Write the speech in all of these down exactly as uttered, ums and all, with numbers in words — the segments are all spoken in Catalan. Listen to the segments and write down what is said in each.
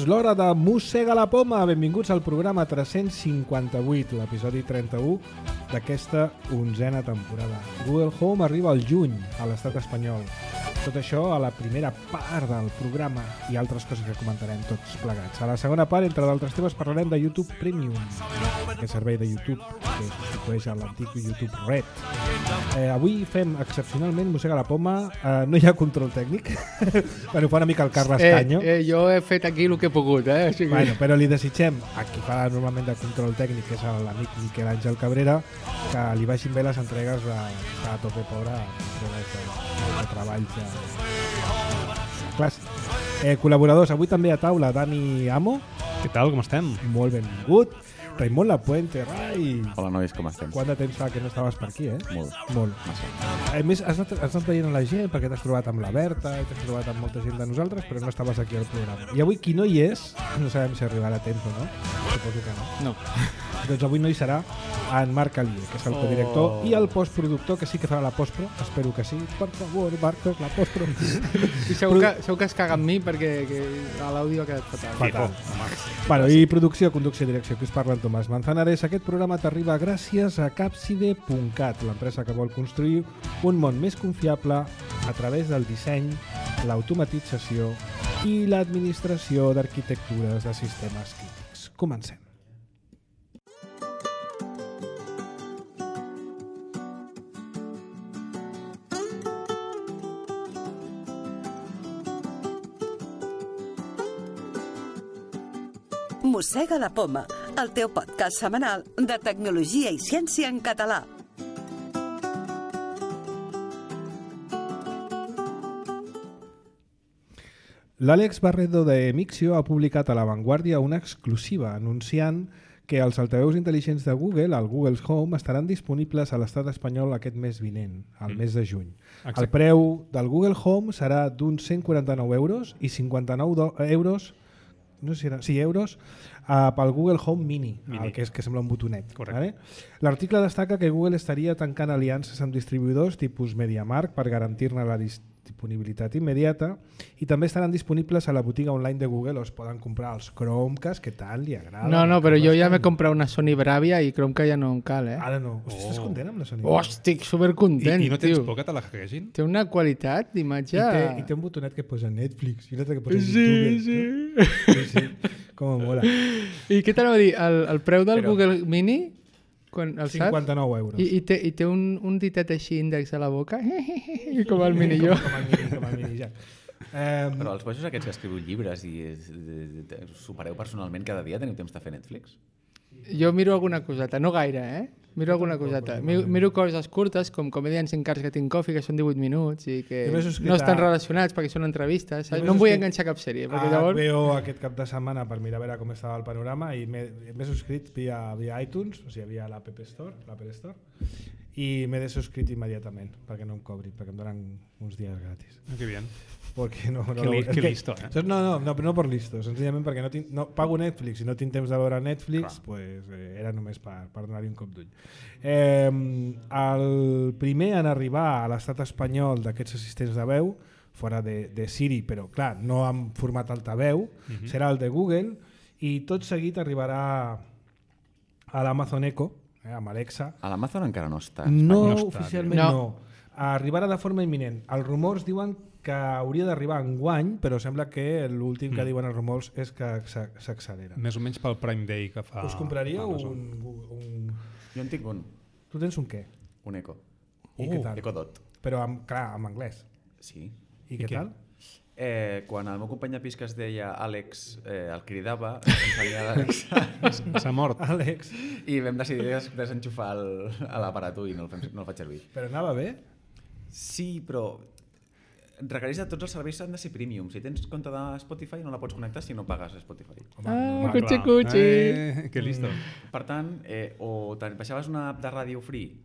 l'hora de Mossega la Poma. Benvinguts al programa tres-cents cinquanta-vuit, l'episodi trenta-u d'aquesta onzena temporada. Google Home arriba al juny a l'estat espanyol. Tot això a la primera part del programa i altres coses que comentarem tots plegats. A la segona part, entre d'altres temes, parlarem de YouTube Premium, aquest servei de YouTube que substitueix a l'antic YouTube Red. Eh, avui fem excepcionalment Mossega la Poma. Eh, no hi ha control tècnic. Bueno, fa una mica el Carles eh, Canyo. Eh, jo he fet aquí el que he pogut, eh? O sigui... Bueno, però li desitgem a qui fa normalment de control tècnic, que és l'amic Miquel Àngel Cabrera, que li vagin bé les entregues de, a tope pobre, entregues de, de treballs de, de classe. Eh, col·laboradors, avui també a taula, Dani Amo. Què tal, com estem? Molt benvingut. Raimon Lapuente, Rai. Hola, nois, com estem? Quant de temps fa que no estaves per aquí, eh? Molt. Molt. A més, has anat, has anat veient la gent perquè t'has trobat amb la Berta i t'has trobat amb molta gent de nosaltres, però no estaves aquí al programa. I avui qui no hi és, no sabem si arribarà a temps o no, suposo que no. No. Doncs avui no hi serà en Marc Alier, que és el codirector, Oh. i el postproductor, que sí que farà la postpro, espero que sí. Per favor, Marcos, la postpro. I segur que, segur que es caga amb mi perquè que l'àudio ha quedat fatal. Fatal. Bueno, i producció, conducció i direcció, que us parla en Tomàs Manzanares. Aquest programa t'arriba gràcies a Capside punt cat, l'empresa que vol construir un món més confiable a través del disseny, l'automatització i l'administració d'arquitectures de sistemes crítics. Comencem. Mossega la Poma, el teu podcast setmanal de tecnologia i ciència en català. L'Àlex Barredo de Mixio ha publicat a La Vanguardia una exclusiva anunciant que els altaveus intel·ligents de Google, el Google Home, estaran disponibles a l'estat espanyol aquest mes vinent, al Mm. mes de juny. Exacte. El preu del Google Home serà d'uns cent quaranta-nou euros i cinquanta-nou do- euros no sé si era, sí, euros uh, pel Google Home Mini, Mini. el que és que sembla un botonet. Correcte. Vale? L'article destaca que Google estaria tancant aliances amb distribuïdors tipus MediaMarkt per garantir-ne la disponibilitat immediata, i també estaran disponibles a la botiga online de Google, o es poden comprar els Chromecast, que tant li agrada. No, no, però jo ja m'he comprat una Sony Bravia i crec que ja no em cal, eh? Ara no. Hosti, estàs content amb la Sony? Oh, estic supercontent, I, I no tens tio. por que te la hackegessin? Té una qualitat d'imatge... I té, I té un botonet que posa Netflix i un altre que posa Sí, YouTube. sí. No? Sí, sí. Com mola. I què t'anava a dir? El, el preu del Però- Google Mini, quan el saps? cinquanta-nou euros. I, i, té, I té un, un ditet així índex a la boca, com el Mini jo. Com el mini, com el mini, ja. Eh, Però els bojos aquests que escriviu llibres i es- de- de- us supereu personalment cada dia, teniu temps de fer Netflix? Jo miro alguna coseta, no gaire, eh? Miro alguna coseta. Miro, miro coses curtes, com Comedians in Cars Getting Coffee, que són divuit minuts i que Jo m'he subscrit no estan a- relacionats perquè són entrevistes. Jo Saps? m'he No em vull subscrit enganxar a cap sèrie, perquè a llavors... H B O aquest cap de setmana per mirar a veure com estava el panorama, i m'he m'he subscrit via, via iTunes, o sigui, via l'App Store, l'Apple Store, i m'he desubscrit immediatament perquè no em cobrin, perquè em donen uns dies gratis. Ah, que bien. Porque no, no, Que li- és que que- listo, eh? saps? No, no, no, no per listo, senzillament perquè no, tinc, no pago Netflix i no tinc temps de veure Netflix, Clar. pues, eh, era només per, per donar-hi un cop d'ull. Eh, el primer en arribar a l'estat espanyol d'aquests assistents de veu, fora de, de Siri, però clar, no en format altaveu, Mhm. serà el de Google, i tot seguit arribarà a l'Amazon Echo, eh, amb Alexa. A l'Amazon encara no està. No, no està, oficialment no. no. Arribarà de forma imminent. Els rumors diuen que hauria d'arribar en guany, però sembla que l'últim que Mm. diuen els rumors és que s'a- s'accelera. Més o menys pel Prime Day que fa... Us compraríeu Amazon. un, un... Jo en tinc un, Tu tens un què? un Eco. I Oh. què tal? Eco Dot. Però, amb, clar, amb anglès. Sí. I, I què què? tal? Eh, quan el meu company de pis que es deia Àlex eh, el cridava, em salia l'Àlex S'ha mort. Àlex, i vam decidir des desenxufar el, a l'aparato i no el, fem, no el faig servir. però anava bé? Sí, però requereix de tots els serveis han de ser premium. Si tens compte de Spotify no la pots connectar si no pagues Spotify. Home, Ah, normal. cotxe, clar. cotxe. Eh, que listo. Per tant, eh, o te baixaves una app de ràdio free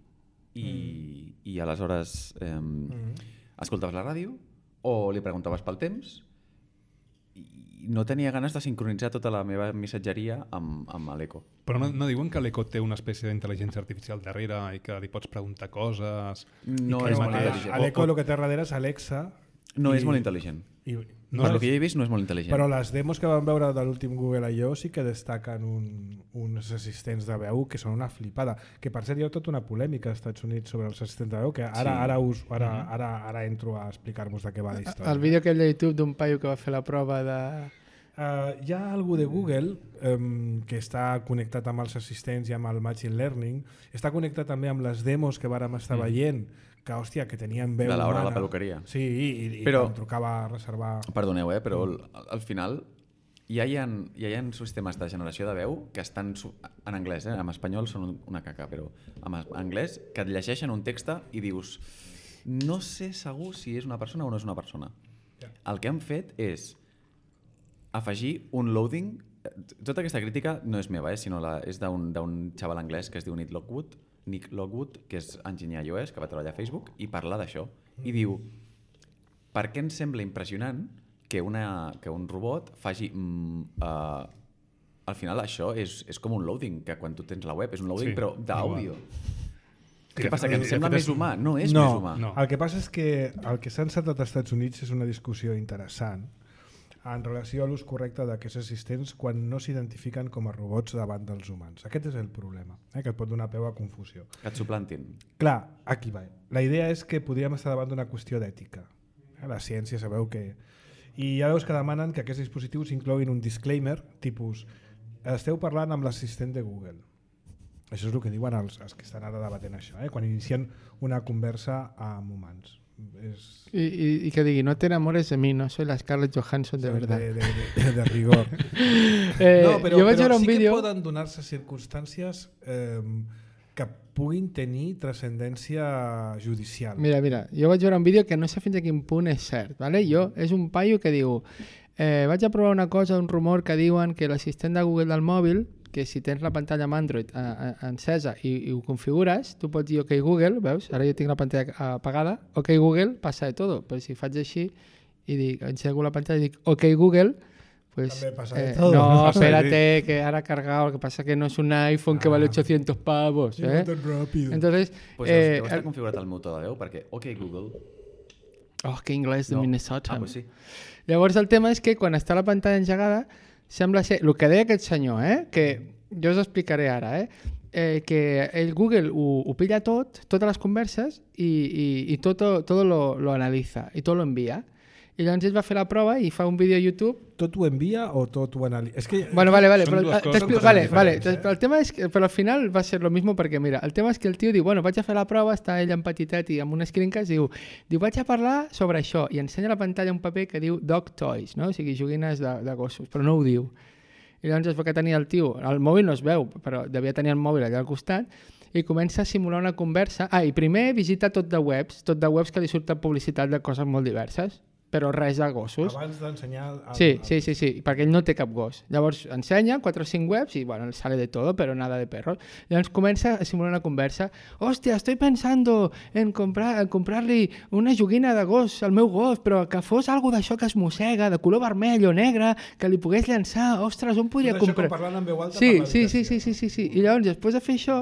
i, mm. i aleshores eh, mm. escoltaves la ràdio, o li preguntaves pel temps, i no tenia ganes de sincronitzar tota la meva missatgeria amb, amb l'Eco. Però no, no diuen que l'Eco té una espècie d'intel·ligència artificial darrere i que li pots preguntar coses? No I que és ell molt mateix- intel·ligent. A l'Eco el que té darrere és Alexa, No I- és molt intel·ligent. I, No, el que jo he vist no és molt intel·ligent. Però les demos que vam veure de l'últim Google I O sí que destaquen un, uns assistents de veu que són una flipada. Que per cert hi ha tota una polèmica als Estats Units sobre els assistents de veu, que ara, Sí. ara, us, ara, ara, ara entro a explicar-vos de què va la història. El vídeo aquell de YouTube d'un paio que va fer la prova de... Uh, hi ha algú de Google um, que està connectat amb els assistents i amb el Machine Learning, està connectat també amb les demos que vàrem estar mm. veient, que hòstia, que tenien veu De l'hora de humana. la peluqueria. Sí, i, i Però- em trucava a reservar... Perdoneu, eh, però al, al final ja hi, ha, ja hi ha sistemes de generació de veu que estan su- en anglès, eh? En espanyol són una caca, però en es- anglès que et llegeixen un text i dius no sé segur si és una persona o no és una persona. Ja. El que han fet és afegir un loading. Tota aquesta crítica no és meva, eh, sinó la, és d'un d'un xaval anglès que es diu Nick Lockwood, Nick Lockwood, que és enginyer iOS, que va treballar a Facebook, i parla d'això. I diu, per què ens sembla impressionant que, una, que un robot faci... Mm, uh, al final això és, és com un loading, que quan tu tens la web és un loading, Sí, però d'àudio. Que Què passa, que de ens sembla fet és més un- humà? No és no, més humà. no. El que passa és que el que s'ha encetat als Estats Units és una discussió interessant en relació a l'ús correcte d'aquests assistents quan no s'identifiquen com a robots davant dels humans. Aquest és el problema, eh, que et pot donar peu a confusió. Que et suplantin. Clar, aquí va. La idea és que podríem estar davant d'una qüestió d'ètica. Eh, La ciència sabeu que... I hi ha veus que demanen que aquests dispositius incloguin un disclaimer, tipus, esteu parlant amb l'assistent de Google. Això és el que diuen els, els que estan ara debatent això, eh? Quan inicien una conversa amb humans. És... I, i, i que digui, no te enamores de mi, no soy la Scarlett Johansson de verdad. De, de, de, de rigor. Eh, no, però, jo vaig però veure un sí vídeo... que poden donar-se circumstàncies eh, que puguin tenir transcendència judicial. Mira, mira, jo vaig veure un vídeo que no sé fins a quin punt és cert, ¿vale? Jo, és un paio que diu, eh, vaig a provar una cosa, un rumor que diuen que l'assistent de Google del mòbil, que si tens la pantalla amb Android eh, eh, encesa i, i ho configures, tu pots dir OK Google, veus? Ara jo tinc la pantalla apagada, OK Google, passa de todo, però si faig així i dic, engego la pantalla i dic OK Google, pues, També pasa de eh, todo. no, Pasa de- espérate, que ahora ha cargado, lo que pasa que no es un iPhone que Ah. vale ochocientos pavos, Sí, ¿eh? tan ràpid. Entonces, Pues eh, deu estar configurat el meu to de veu, perquè OK Google... oh, que inglès de No. Minnesota. Ah, pues sí. Llavors el tema és que quan està la pantalla engegada sembla ser, el que deia aquest senyor, eh, que jo us explicaré ara, eh, eh, que el Google ho, ho pilla tot, totes les converses i, i, i tot, tot lo, lo analitza i tot lo envia. I llavors ell va fer la prova i fa un vídeo a YouTube. Tot ho envia o tot ho analitza? És que... Bueno, vale, vale, Són però, dues ah, coses t'explico- totalment vale, vale, diferents, eh? però el tema és que, però al final va ser lo mismo perquè, mira, el tema és que el tio diu, bueno, vaig a fer la prova, està ell en petitet i amb un screencast, diu, diu, vaig a parlar sobre això, i ensenya a la pantalla un paper que diu dog toys, no? O sigui, joguines de, de gossos, però no ho diu. I llavors es veu que tenia el tio, el mòbil no es veu, però devia tenir el mòbil allà al costat, i comença a simular una conversa. Ah, i primer visita tot de webs, tot de webs que li surten publicitat de coses molt diverses, però res de gossos. Abans d'ensenyar... el- Sí, el- sí, sí, sí, perquè ell no té cap gos. Llavors ensenya quatre o cinc webs y bueno, sale de todo, pero nada de perros. Llavors comença a simular una conversa. Hòstia, estoy pensando en comprar en comprar-li una joguina de gos al meu gos, però que fos algo d'això que es mossega, de color vermell o negre, que li pogués llançar. Ostres, on podria Tot això comprar? com parlant en veu alta Sí, per sí, sí, l'habitació. sí, sí, sí, sí. I llavors, després de fer això,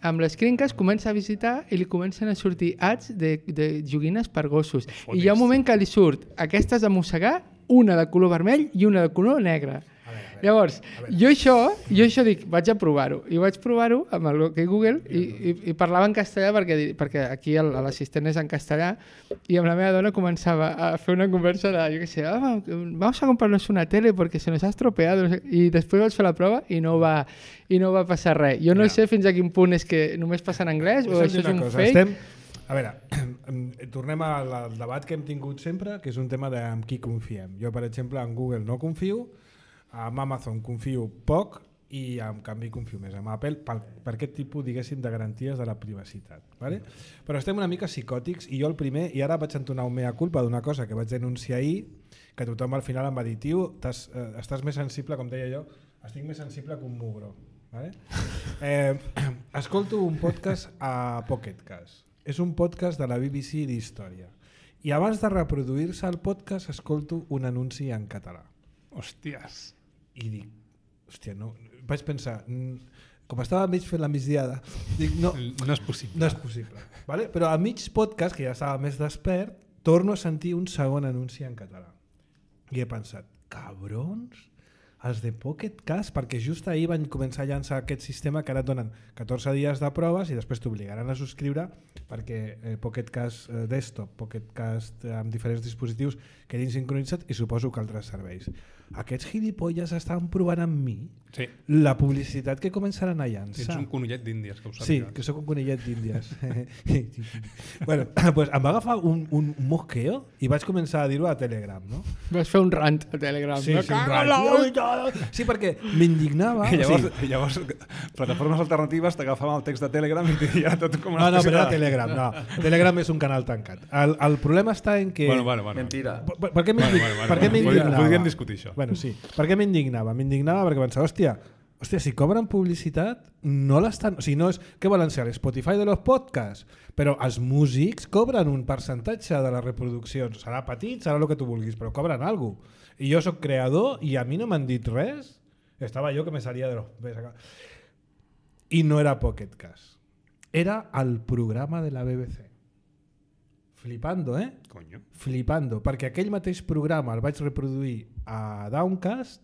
amb les screencasts comença a visitar i li comencen a sortir ads de, de joguines per gossos. I hi ha un moment que li surt aquestes de mossegar, una de color vermell i una de color negre. Llavors, jo això, jo això dic, vaig a provar-ho. I vaig provar-ho amb el OK Google i, i, i parlava en castellà perquè, perquè aquí el- l'assistent és en castellà i amb la meva dona començava a fer una conversa de, jo què sé, ah, vamos a comprarnos una tele porque se nos ha estropeado. I després vaig fer la prova i no va, i no va passar res. Jo no Ja. sé fins a quin punt és que només passa en anglès o Deixa'm això dir és una un cosa, fake. Estem... A veure, tornem al, al debat que hem tingut sempre, que és un tema de amb qui confiem. Jo, per exemple, en Google no confio, amb Amazon confio poc i en canvi confio més amb Apple per, per aquest tipus, diguéssim, de garanties de la privacitat. Vale? Però estem una mica psicòtics i jo el primer, i ara vaig entonar un mea culpa d'una cosa que vaig denunciar ahir, que tothom al final em va dir, tio, t'has, eh, estàs més sensible, com deia jo, estic més sensible que un mugro. Vale? Eh, escolto un podcast a Pocketcast. És un podcast de la B B C d'història. I abans de reproduir-se el podcast escolto un anunci en català. Hòsties. I dic, hòstia, no... Vaig pensar, mm, com estava mig fent la migdiada, dic, no, No és possible. no és possible. Vale? Però a mig podcast, que ja estava més despert, torno a sentir un segon anunci en català. I he pensat, cabrons, els de Pocket Cast, perquè just ahir van començar a llançar aquest sistema que ara et donen catorze dies de proves i després t'obligaran a subscriure perquè eh, Pocket Cast eh, Desktop, Pocket Cast eh, amb diferents dispositius quedin sincronitzats i suposo que altres serveis. Aquests gilipolles estan provant amb mi Sí. la publicitat que començaran a llançar. Ets un conillet d'Índies, que ho Sí, sàpigues. que sóc un conillet d'Índies. bueno, pues em va agafar un, un mosqueo i vaig començar a dir-ho a Telegram, no? Vas fer un rant a Telegram. Sí, Me sí, un cago rant. en la- Sí, perquè m'indignava. I llavors, sí. i llavors, plataformes alternatives t'agafaven el text de Telegram i t'hi tot com una No, no, espècie però era de- Telegram. No. Telegram és un canal tancat. El, el problema està en que... Bueno, bueno, bueno. Mentira. Per, per què Bueno, m'indig- bueno, bueno, per què bueno. m'indignava? Podríem discutir això. Bueno, sí. Per què m'indignava? M'indignava perquè pensava, hòstia, hòstia, si cobren publicitat, no l'estan... O sigui, no és... Què volen ser? L'Spotify de los podcasts? Però els músics cobren un percentatge de les reproduccions. Serà petit, serà el que tu vulguis, però cobren alguna cosa. I jo sóc creador i a mi no m'han dit res. Estava jo que me salía de los... Ves acá. I no era Pocket Cast. Era el programa de la B B C. Flipando, eh? Coño. Flipando, perquè aquell mateix programa el vaig reproduir a Downcast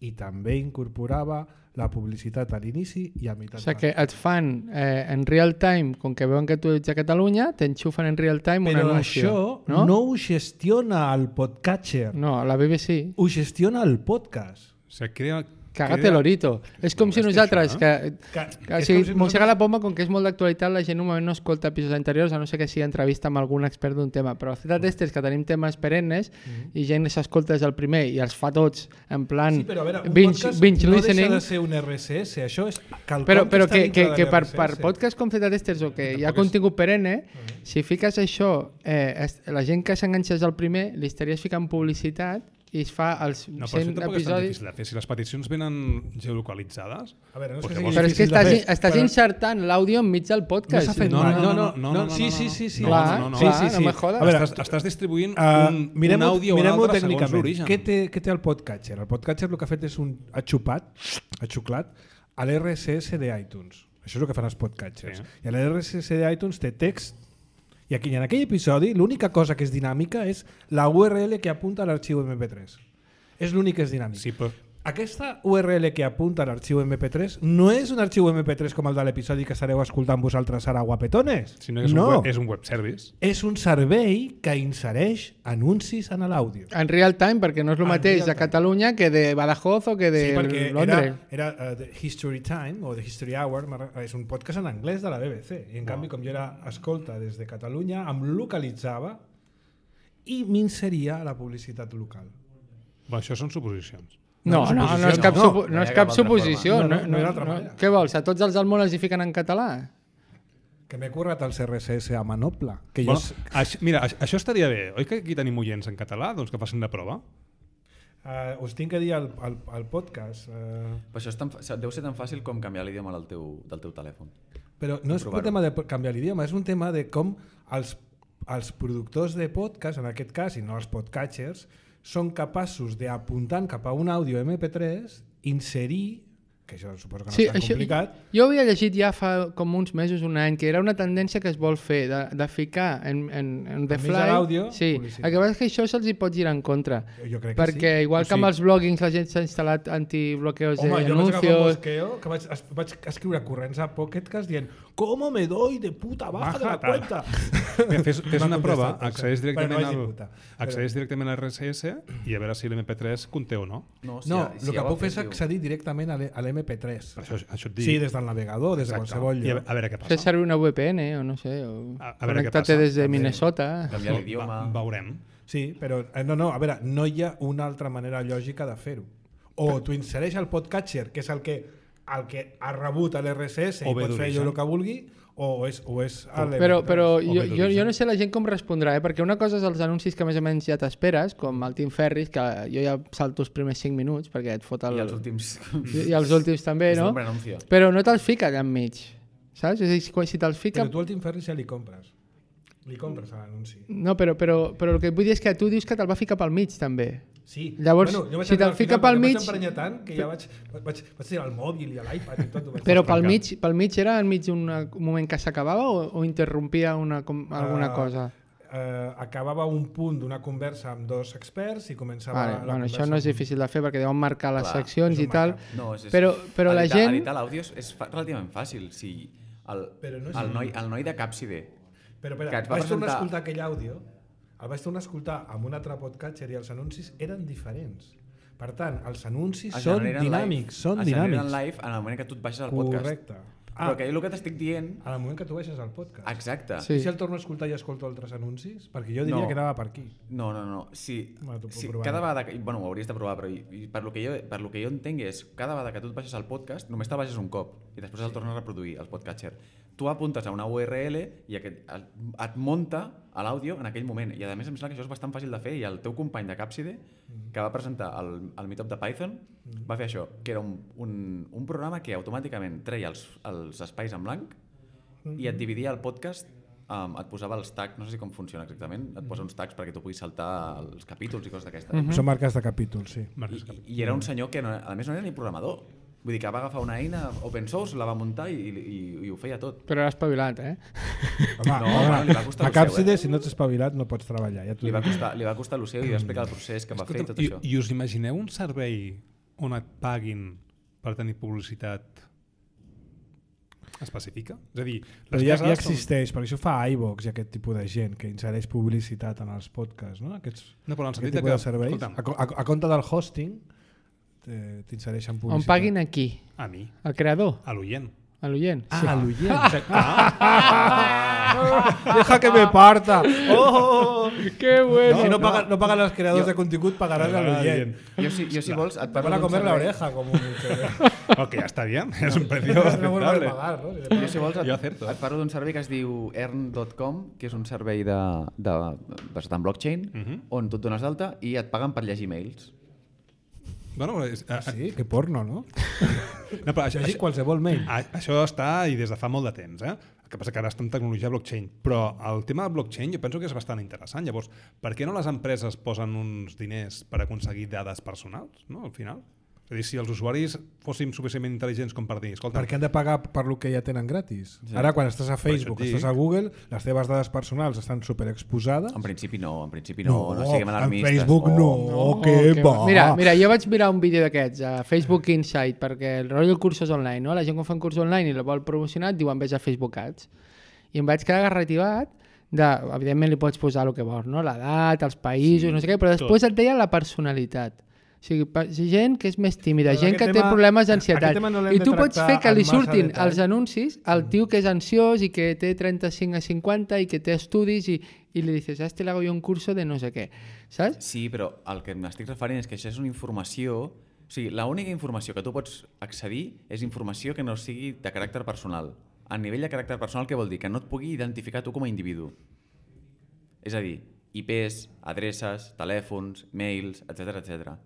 i també incorporava la publicitat a l'inici i a meitat. O sigui que et fan eh, en real time, com que veuen que tu ets a Catalunya, t'enxufen en real time un Però anunci. això no? no ho gestiona el podcatcher, No, la B B C. ho gestiona el podcast. O sigui, crea... Cagate crea- l'orito. És com si Molesta nosaltres, això, que, Que, que o és sigui, com si mossega nosaltres- la poma, com que és molt d'actualitat, la gent normalment no escolta episodis anteriors, a no ser que sigui entrevista amb algun expert d'un tema. Però Z Testers, que tenim temes perennes, i gent s'escolta des del primer i els fa tots en plan Sí, però a veure, un binge, podcast binge no listening. deixa de ser un R S S, això és quelcom Però, però està que, dintre que, de que per, l'R S S. per podcast com Z Testers o que hi ha Tampoc és- contingut perenne, si fiques això, eh, es- la gent que s'enganxa al primer, li estaries ficant publicitat i es fa els No, però això cent tampoc és tan episodis... difícil de fer. Si les peticions venen geolocalitzades... A veure, no és pues que llavors- sigui Però és que difícil de estàs, fer, estàs però- insertant l'àudio enmig del No podcast. s'ha fet No, mai. no, no, no, no, sí, no, sí, no. sí, sí. Clar, no, no, no. clar, Sí, sí, no sí. me jodas. A veure, estàs, estàs distribuint Uh, un, mirem un àudio o un mirem altre segons tècnicament. l'origen. Què té, què té el podcatcher? El podcatcher el que ha fet és un ha xupat, ha xuclat a l'R S S d'iTunes. Això és el que fan els podcatchers. Sí. I a l'R S S d'iTunes té text i aquí, en aquell episodi l'única cosa que és dinàmica és la U R L que apunta a l'arxiu eme pe tres. És l'únic que és dinàmic. Sí, però Aquesta U R L que apunta a l'arxiu eme pe tres no és un arxiu eme pe tres com el de l'episodi que estareu escoltant vosaltres ara, guapetones. si no és, no. Un web, és un web service. És un servei que insereix anuncis en l'àudio. En real time, perquè no és el En mateix real de time. Catalunya que de Badajoz o que de Sí, perquè Londres. era, era uh, The History Time o The History Hour, m'ha- és un podcast en anglès de la B B C. I en canvi, com jo era escolta des de Catalunya, em localitzava i m'inseria a la publicitat local. Bueno, això són suposicions. No, no, no, no és cap, no. supo, no No hi és ha cap cap altra suposició. forma. No, No, no, no, no hi ha altra no. manera. Què vols? A tots els almohades els hi fiquen en català? Que m'he currat els R S S a Manoble. Que Bueno, jo... això, mira, això, això estaria bé. Oi que aquí tenim oients en català? Doncs que facin la prova. Uh, us tinc que dir al, al, al podcast, uh, Però això és tan, fa- deu ser tan fàcil com canviar l'idioma del teu, del teu telèfon. però no és un Provar-ho. tema de canviar l'idioma, és un tema de com els, els productors de podcast, en aquest cas, i no els podcatchers, són capaços d'apuntant cap a un àudio eme pe tres, inserir, que això suposo que no Sí, és tan això, complicat, jo havia llegit ja fa com uns mesos, un any, que era una tendència que es vol fer, de, de ficar en, en, en the Enmig de fly... l'àudio, sí, publicitat. el que passa és que això se'ls hi pot girar en contra. jo crec que Perquè sí. igual O que amb sigui- els bloggings la gent s'ha instal·lat antibloqueos Home, jo vaig agafar un d'anuncios... mosqueo que vaig, es, vaig escriure corrents a Pocketcast dient «¿Cómo me doy de puta baja de la Baja, tal. cuenta?» Mira, fes fes M'ha una contestat, prova, per accedeix cert. Bueno, directament, no vaig dir al, puta. accedeix directament a l'R S S i a veure si l'eme pe tres conté o no. No, No, ha- el que ha puc fer és fet, diu- accedir directament a l'e- a l'eme pe tres. Per això, això et dic. Sí, des del navegador, des de Exacte. qualsevol I a, lloc. a veure què Fer passa. servir una V P N o no sé, o A- a veure què connectar-te passa. des de També. Minnesota. Canviar l'idioma. Va, veurem. Sí, però eh, no, no, a veure, no hi ha una altra manera lògica de fer-ho. O tu insereix el podcatcher, que és el que, el que ha rebut a l'R S S O i bé pot fer d'origen. allò el que vulgui, o és, o és a l'eme pe tres. Però, però O jo, bé jo, d'origen. jo no sé la gent com respondrà, eh? Perquè una cosa és els anuncis que més o menys ja t'esperes, com el Tim Ferris, que jo ja salto els primers cinc minuts perquè et fot el... I els últims... I, i els últims també, És no? un bon anuncio. Però no te'ls fica allà enmig, saps? És a dir, si- quan- si te'ls fica... Però tu al Tim Ferris ja li compres. Li compres a l'anunci. No, però, però, però el que et vull dir és que tu dius que te'l va ficar pel mig, també. Sí. Llavors, jo vaig si entrar te'l al fica final, pel perquè mig- Vaig emprenyar tant que ja vaig, vaig, vaig tirar el mòbil i l'iPad i tot. ho vaig Però despencar. pel mig, pel mig era enmig d'un moment que s'acabava o, o interrompia una, com, alguna Ah, cosa? eh, acabava un punt d'una conversa amb dos experts i començava Vale, la bueno, conversa... això no és amb- difícil de fer perquè deuen marcar les Clar, seccions és un i tal, marcat. No, és, és, però, però la editar, gent... Editar l'àudio és, és fa- relativament fàcil. Si el, Però no és- el, noi, el noi de Capside, Però, que espera, et va vaig tornar a presentar- escoltar aquell àudio, el vaig tornar a escoltar amb un altre podcatcher i els anuncis eren diferents. Per tant, els anuncis es són generen dinàmics, live, són es generen dinàmics. live en el moment que tu et baixes al podcast. Correcte. Però Ah, que el que t'estic dient... en el moment que tu baixes al podcast. Exacte. Sí. I si el torno a escoltar i escolto altres anuncis? Perquè jo diria No. que anava per aquí. No, no, no. Si, Bueno, t'ho puc si provar. cada vegada... Que, bueno, ho hauries de provar, però i, i per, lo que jo, per lo que jo entenc és cada vegada que tu et baixes al podcast, només te'l baixes un cop i després el tornes a reproduir, el podcatcher. Tu apuntes a una U R L i aquest, el, et munta a l'àudio en aquell moment. I a més em sembla que això és bastant fàcil de fer i el teu company de Capside, que va presentar el, el Meetup de Python, va fer això, que era un, un, un programa que automàticament treia els, els espais en blanc i et dividia el podcast, um, et posava els tags, no sé si com funciona exactament, et posa uns tags perquè tu puguis saltar els capítols i coses d'aquestes. Mm -hmm. Són marques de capítols, sí. I, I era un senyor que no, a més no era ni programador. Vull dir que va agafar una eina open source, la va muntar i, i, i ho feia tot. Però era espavilat, eh? Home, No, home, bueno, li va costar a el seu, Capside, eh? si no ets espavilat, no pots treballar. Ja t'ho Li va dic. costar, li va costar el seu i va explicar el procés que va fer i tot I, això. I us imagineu un servei on et paguin per tenir publicitat específica? És a dir, Però les ja, cases ja són- existeix, perquè això fa iVox i aquest tipus de gent que insereix publicitat en els podcasts, no? Aquests, No, però en el aquest sentit de tipus que... de serveis. escolta'm, A, co- a, a compte del hosting eh, t'insereixen publicitat. On paguin aquí, a mi, al creador, a l'oient. a l'oient. Ah, a l'oient. Ah, Deja que me parta. Oh, Que bueno! si no, pagan, no pagan els creadors Jo- de contingut, pagaran a l'oient. Jo si, jo, si vols, et Te parlo van a d'un comer la servei. oreja, como mucho. ok, ja està bien, és un precio No vuelven a aceptable. pagar, ¿no? Jo, si vols, et, Jo acerto. et parlo d'un servei que es diu earn dot com, que és un servei de, de, basat en blockchain, Mhm. on tu et dones d'alta i et paguen per llegir mails. Bueno, és, a, Sí, que porno, no? no, però això, Llegir això, qualsevol mail. a, això està i des de fa molt de temps, eh? El que passa que ara està en tecnologia blockchain, però el tema de blockchain jo penso que és bastant interessant. Llavors, per què no les empreses posen uns diners per aconseguir dades personals, no, al final? És a dir, si els usuaris fóssim suficientment intel·ligents com per dir, escolta, Perquè han de pagar per lo que ja tenen gratis. Sí. Ara, quan estàs a Facebook, Per això et estàs a Google, les teves dades personals estan superexposades. En principi no, en principi no, no, siguem en alarmistes. Facebook no, No, que que va. Mira, mira, jo vaig mirar un vídeo d'aquests a Facebook Insight perquè el rotllo cursos online, no? La gent quan fa un curs online i el vol promocionar et diuen vés a Facebook Ads. I em vaig quedar garrativat de, evidentment li pots posar el que vols, no? L'edat, els països, sí, no sé què, però després tot. Et deia la personalitat. O sigui, pa- gent que és més tímida, Però gent que aquest té tema- problemes aquest d'ansietat. tema no l'hem I de tu pots tractar fer que en li massa surtin detall. als anuncis el tio que és ansiós i que té trenta-cinc a cinquanta i que té estudis i, i li dices, a este le hago yo un curso de no sé què, saps? Sí, però el que m'estic referint és que això és una informació... O sigui, l'única informació que tu pots accedir és informació que no sigui de caràcter personal. A nivell de caràcter personal, què vol dir? Que no et pugui identificar tu com a individu. És a dir, I Pes, adreces, telèfons, mails, etcètera, etcètera.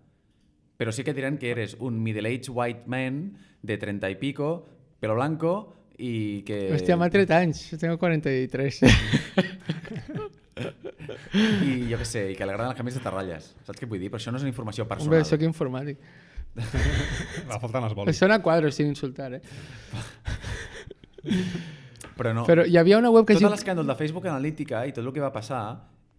Pero sí que dirán que eres un middle-aged white man de treinta y pico, pelo blanco y que... Hòstia, m'ha tret anys, jo tengo quaranta-tres. I jo què sé, i que li agraden els canvis de terralles. Saps què vull dir? Però això no és una informació personal. Hombre, soc informàtic. va faltant els Em bolis. sona a quadros sin insultar, eh? Però no. Però hi havia una web que... Tot es diu- l'escàndol de Facebook Analítica i tot el que va passar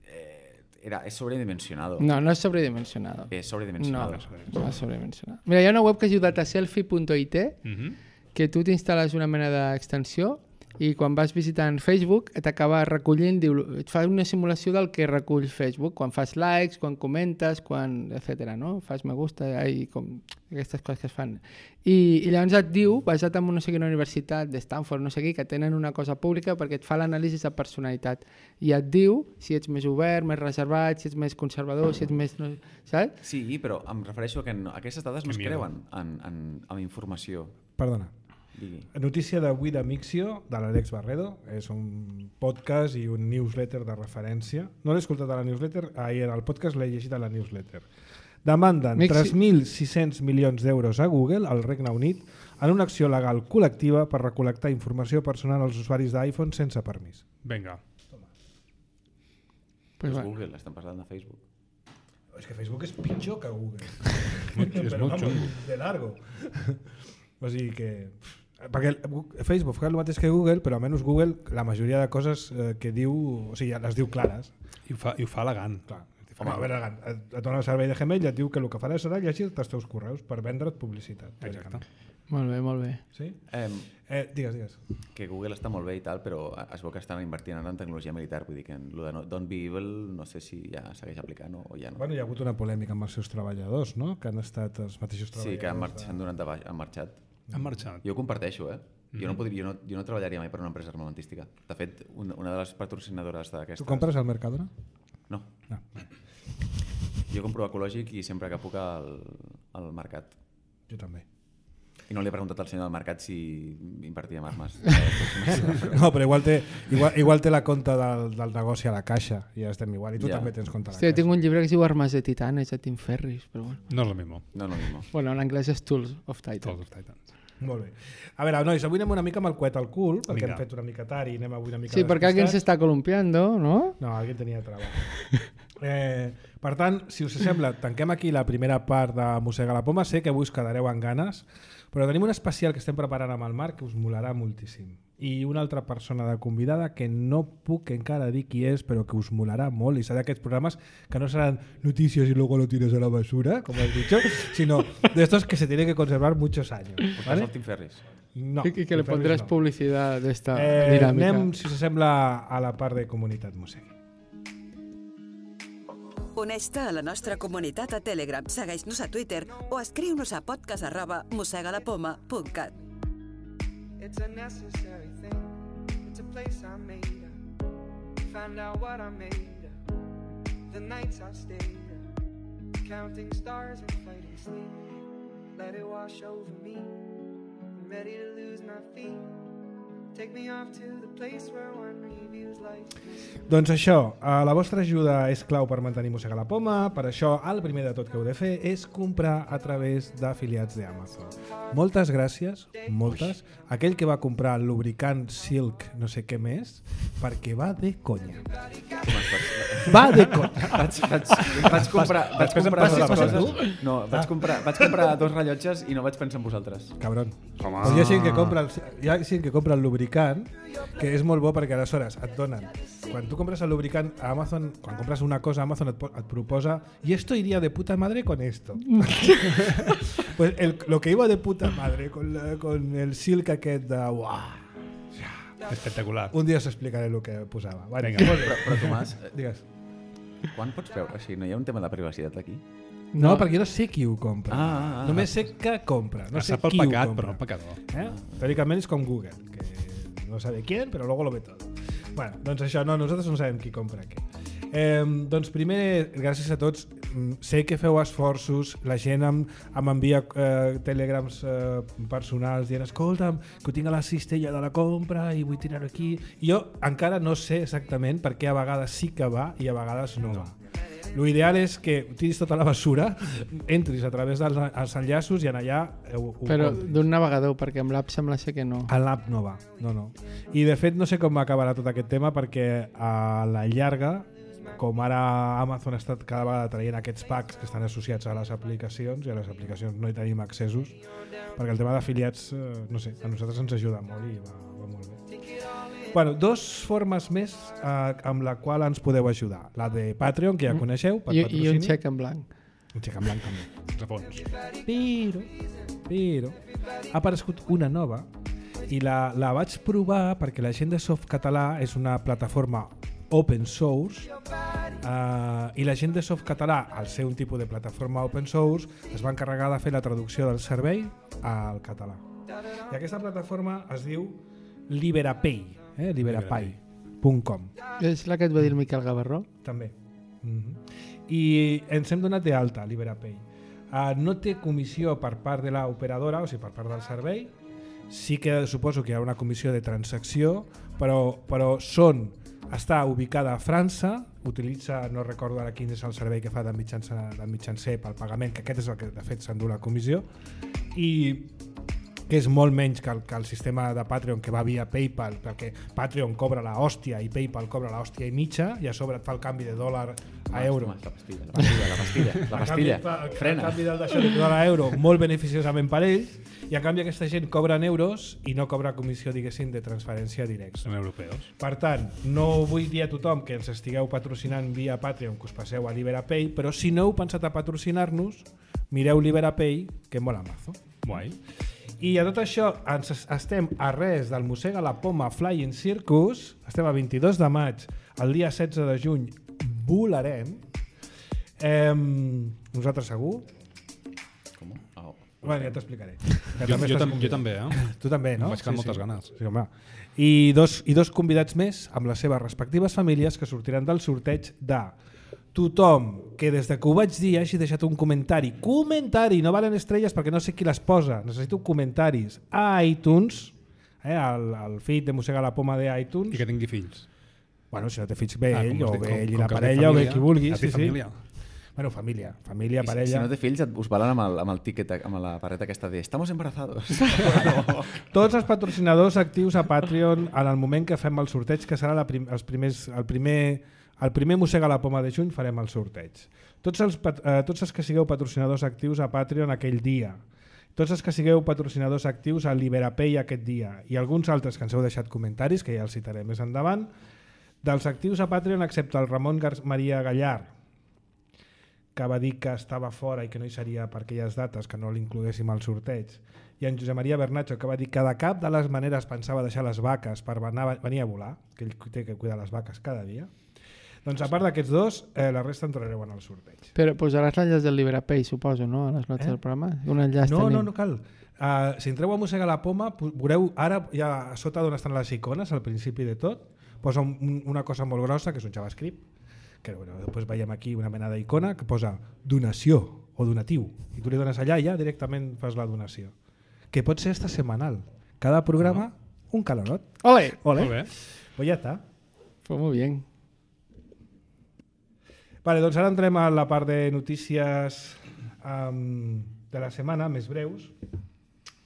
eh, era, és sobredimensionado. No, no és sobredimensionado. És No, sobredimensionado. no és sobredimensionado. Mira, hi ha una web que es diu dataselfie punto i te Mhm. que tu t'instal·les una mena d'extensió i quan vas visitant Facebook t'acaba recollint, diu, et fa una simulació del que recull Facebook, quan fas likes, quan comentes, quan, etcètera, no? Fas me gusta i com aquestes coses que es fan. I, i llavors et diu, basat en no sé quina universitat de Stanford, no sé què, que tenen una cosa pública perquè et fa l'anàlisi de personalitat i et diu si ets més obert, més reservat, si ets més conservador, si ets més... No, saps? Sí, però em refereixo a que no, aquestes dades no es Que miedo. creuen en, en, en informació. Perdona. Digui. Notícia d'avui de Mixio, de l'Àlex Barredo. És un podcast i un newsletter de referència. No l'he escoltat a la newsletter, ahir era el podcast, l'he llegit a la newsletter. Demanden Mixi- tres mil sis-cents milions d'euros a Google, al Regne Unit, en una acció legal col·lectiva per recol·lectar informació personal als usuaris d'iPhone sense permís. Vinga. Pues És va. Google, estan parlant de Facebook. És que Facebook és pitjor que Google. Molt- és Però molt vamos, xungo. de largo. O sigui que... perquè Facebook fa el mateix que Google, però almenys Google la majoria de coses eh, que diu, o sigui, les diu clares. I ho fa, i ho fa elegant. Clar. Home, a veure, et, et dona el servei de Gmail i et diu que el que farà serà llegir els teus correus per vendre't publicitat. Exacte. Molt bé, molt bé. Sí? Eh, Eh, digues, digues. que Google està molt bé i tal, però es veu que estan invertint ara en tecnologia militar, vull dir que en lo de no, Don't Be Evil no sé si ja segueix aplicant o, o ja no. Bueno, hi ha hagut una polèmica amb els seus treballadors, no? Que han estat els mateixos treballadors. Sí, que han, marx, s'han donat de baix, han marxat. Han marxat. Jo ho comparteixo, eh? Jo no, podria, jo, no, jo no treballaria mai per una empresa armamentística. De fet, una, una de les patrocinadores d'aquestes... Tu compres al Mercadona? No. No. Jo compro ecològic i sempre que puc al, al mercat. Jo també. I no li he preguntat al senyor del mercat si invertia en armes. No, però igual té, igual, igual té la compta del, del negoci a la caixa i ja estem igual. I tu Ja. també tens compte a la Hòstia, caixa. tinc un llibre que es diu Armes de Titanes, de Tim Ferriss, però bueno. No és el mismo. No, no, no. Bueno, en anglès és Tools of Titan. Tools of Titans. Molt bé. A veure, nois, avui anem una mica amb el coet al cul, perquè Vinga. hem fet una mica tard i anem avui una mica Sí, perquè alguien se despistats. está columpiando, ¿no? No, alguien tenia treball. Eh, per tant, si us sembla, tanquem aquí la primera part de Mossega la Poma. Sé que avui us quedareu amb ganes, però tenim un especial que estem preparant amb el Marc que us molarà moltíssim. I una altra persona de convidada que no puc encara dir qui és, però que us molarà molt, i serà d'aquests programes que no seran noticias y luego lo tires a la basura, como has dicho, sino de estos que se tienen que conservar muchos años. Portes ¿vale? el Tim Ferriss. No, y, y que le Ferris pondrás no. publicidad de esta Eh, dinámica. anem, si s'assembla, a la part de comunitat Mossega. Uneix-te a la nostra comunitat a Telegram, segueix-nos a Twitter o escriu-nos a podcast arroba mossegalapoma punt cat. It's a necessary thing. It's a place I made up. Find out what I made up. The nights I stayed up. Counting stars and fighting sleep. Let it wash over me. I'm ready to lose my feet. Take me off to the place where one reviews life. Doncs això, eh, la vostra ajuda és clau per mantenir Mossega la Poma. Per això, el primer de tot que heu de fer és comprar a través d'afiliats d'Amazon. Moltes gràcies, moltes, a aquell que va comprar el lubricant Silk no sé què més, perquè va de conya. Va de conya. Vaig, vaig, vaig comprar, vaig Després em comprar passes dues les coses. coses, No, vaig comprar, vaig comprar dos rellotges i no vaig pensar en vosaltres. Cabron. Home. Pues hi ha gent que compra el, hi ha gent que compra el lubricant, que és molt bo perquè aleshores et donen, quan tu compres el lubricant a Amazon, quan compres una cosa a Amazon et, po- et proposa y esto iría de puta madre con esto. Pues el, lo que iba de puta madre con, la, con el silk aquest de uah, Espectacular. un dia us explicaré el que posava. Vale, Vinga. molt bé. Però, però Tomàs, eh, Digues. quan pots veure? O sigui, no hi ha un tema de privacitat aquí? No, perquè jo no sé qui ho compra. Ah, ah, ah. Només sé que compra. No No sé sap el qui ho pecat, compra. però el pecador. ¿Eh? Teóricamente es con Google, que no sabe quién, però luego lo ve todo. Bueno, doncs això, no, nosaltres no sabem qui compra què. Eh, doncs primer, gràcies a tots. Mm, Sé que feu esforços, la gent em, em envia eh, telegrams eh, personals dient escolta'm, que ho tinc a la cistella de la compra i vull tirar aquí. I jo encara no sé exactament per què a vegades sí que va i a vegades no va. Lo ideal és que tiris tota la basura, entris a través dels els enllaços i en allà ho, ho Però compris. d'un navegador, perquè amb l'app sembla ser que no. A l'app no va, no, no. I de fet no sé com acabarà tot aquest tema perquè a la llarga, com ara Amazon està cada vegada traient aquests packs que estan associats a les aplicacions i a les aplicacions no hi tenim accessos, perquè el tema d'afiliats, eh, no sé, a nosaltres ens ajuda molt i va, va molt bé. Bueno, dos formes més eh, amb la qual ens podeu ajudar. La de Patreon, que ja coneixeu, per I, I patrocini. un xec en blanc. Un xec en blanc també. De fons. Però, però, ha aparegut una nova i la, la vaig provar perquè la gent de Softcatalà és una plataforma open source uh, i la gent de Softcatalà, al ser un tipus de plataforma open source, es va encarregar de fer la traducció del servei al català. I aquesta plataforma es diu Liberapay, eh? liberapay punt com. És la que et va dir el Miquel Gavarró? També. Mm-hmm. I ens hem donat d'alta, Liberapay. Uh, no té comissió per part de l'operadora, o sigui, per part del servei. Sí que suposo que hi ha una comissió de transacció, però, però són, està ubicada a França, utilitza, no recordo ara quin és el servei que fa de mitjancer, de mitjancer pel pagament, que aquest és el que de fet s'endú la comissió, i que és molt menys que el, que el sistema de Patreon que va via PayPal, perquè Patreon cobra la hòstia i PayPal cobra la hòstia i mitja i a sobre et fa el canvi de dòlar a euro. La pastilla, la pastilla, la pastilla, la pastilla. A canvi, Frena. A canvi del d'això li dona l'euro molt beneficiosament per ells i a canvi aquesta gent cobra en euros i no cobra comissió, diguéssim, de transferència directa. Són europeus. Per tant, no vull dir a tothom que ens estigueu patrocinant via Patreon que us passeu a Liberapay, però si no heu pensat a patrocinar-nos, mireu Liberapay, que mola mazo. Guai. I a tot això ens estem a res del Mossega la Poma Flying Circus, estem a vint-i-dos de maig, el dia setze de juny volarem. Eh, nosaltres segur? Com? Oh. Bueno, ja t'explicaré. Jo, jo, tam jo també, eh? Tu també, no? Em vaig quedar amb moltes ganes. Sí, home. I dos, I dos convidats més amb les seves respectives famílies que sortiran del sorteig de tothom que des de que ho vaig dir hagi deixat un comentari, comentari, no valen estrelles perquè no sé qui les posa, necessito comentaris a iTunes, eh, al, al feed de Mossega la Poma de iTunes. I que tingui fills. Bueno, si no té fills, bé Ah, ell, com o es diu, bé com- ell i com la que es diu parella, o bé família, qui vulgui. es diu Sí, sí. família. Bueno, família, família, I si, parella. si no té fills, et, us valen amb el, amb el tiquet, amb la pareta aquesta de estamos embarazados. Tots els patrocinadors actius a Patreon en el moment que fem el sorteig, que serà la prim els primers, el primer el primer Mossega la Poma de juny farem el sorteig. Tots els, eh, tots els que sigueu patrocinadors actius a Patreon aquell dia, tots els que sigueu patrocinadors actius a Liberapay aquest dia i alguns altres que ens heu deixat comentaris, que ja els citaré més endavant, dels actius a Patreon excepte el Ramon Gar Maria Gallar, que va dir que estava fora i que no hi seria per aquelles dates, que no l'incloguéssim al sorteig, i en Josep Maria Bernatxo, que va dir que de cap de les maneres pensava deixar les vaques per anar, venir a volar, que ell té que cuidar les vaques cada dia. Doncs a part d'aquests dos, eh, la resta entrareu en el sorteig. Però posaràs l'enllaç del Liberapay, suposo, no? A les notes Eh? del programa? Un enllaç No, tenim. no, no cal. Uh, si entreu a Mossega la Poma, veureu ara ja a sota d'on estan les icones, al principi de tot, posa un, un, una cosa molt grossa, que és un JavaScript, que bueno, després veiem aquí una mena d'icona que posa donació o donatiu, i tu li dones allà i ja directament fas la donació. Que pot ser esta setmanal. Cada programa, un calorot. Ole! Ole. Molt bé. Pues ja està. Pues muy bien. Vale, doncs ara entrem a la part de notícies um, de la setmana, més breus,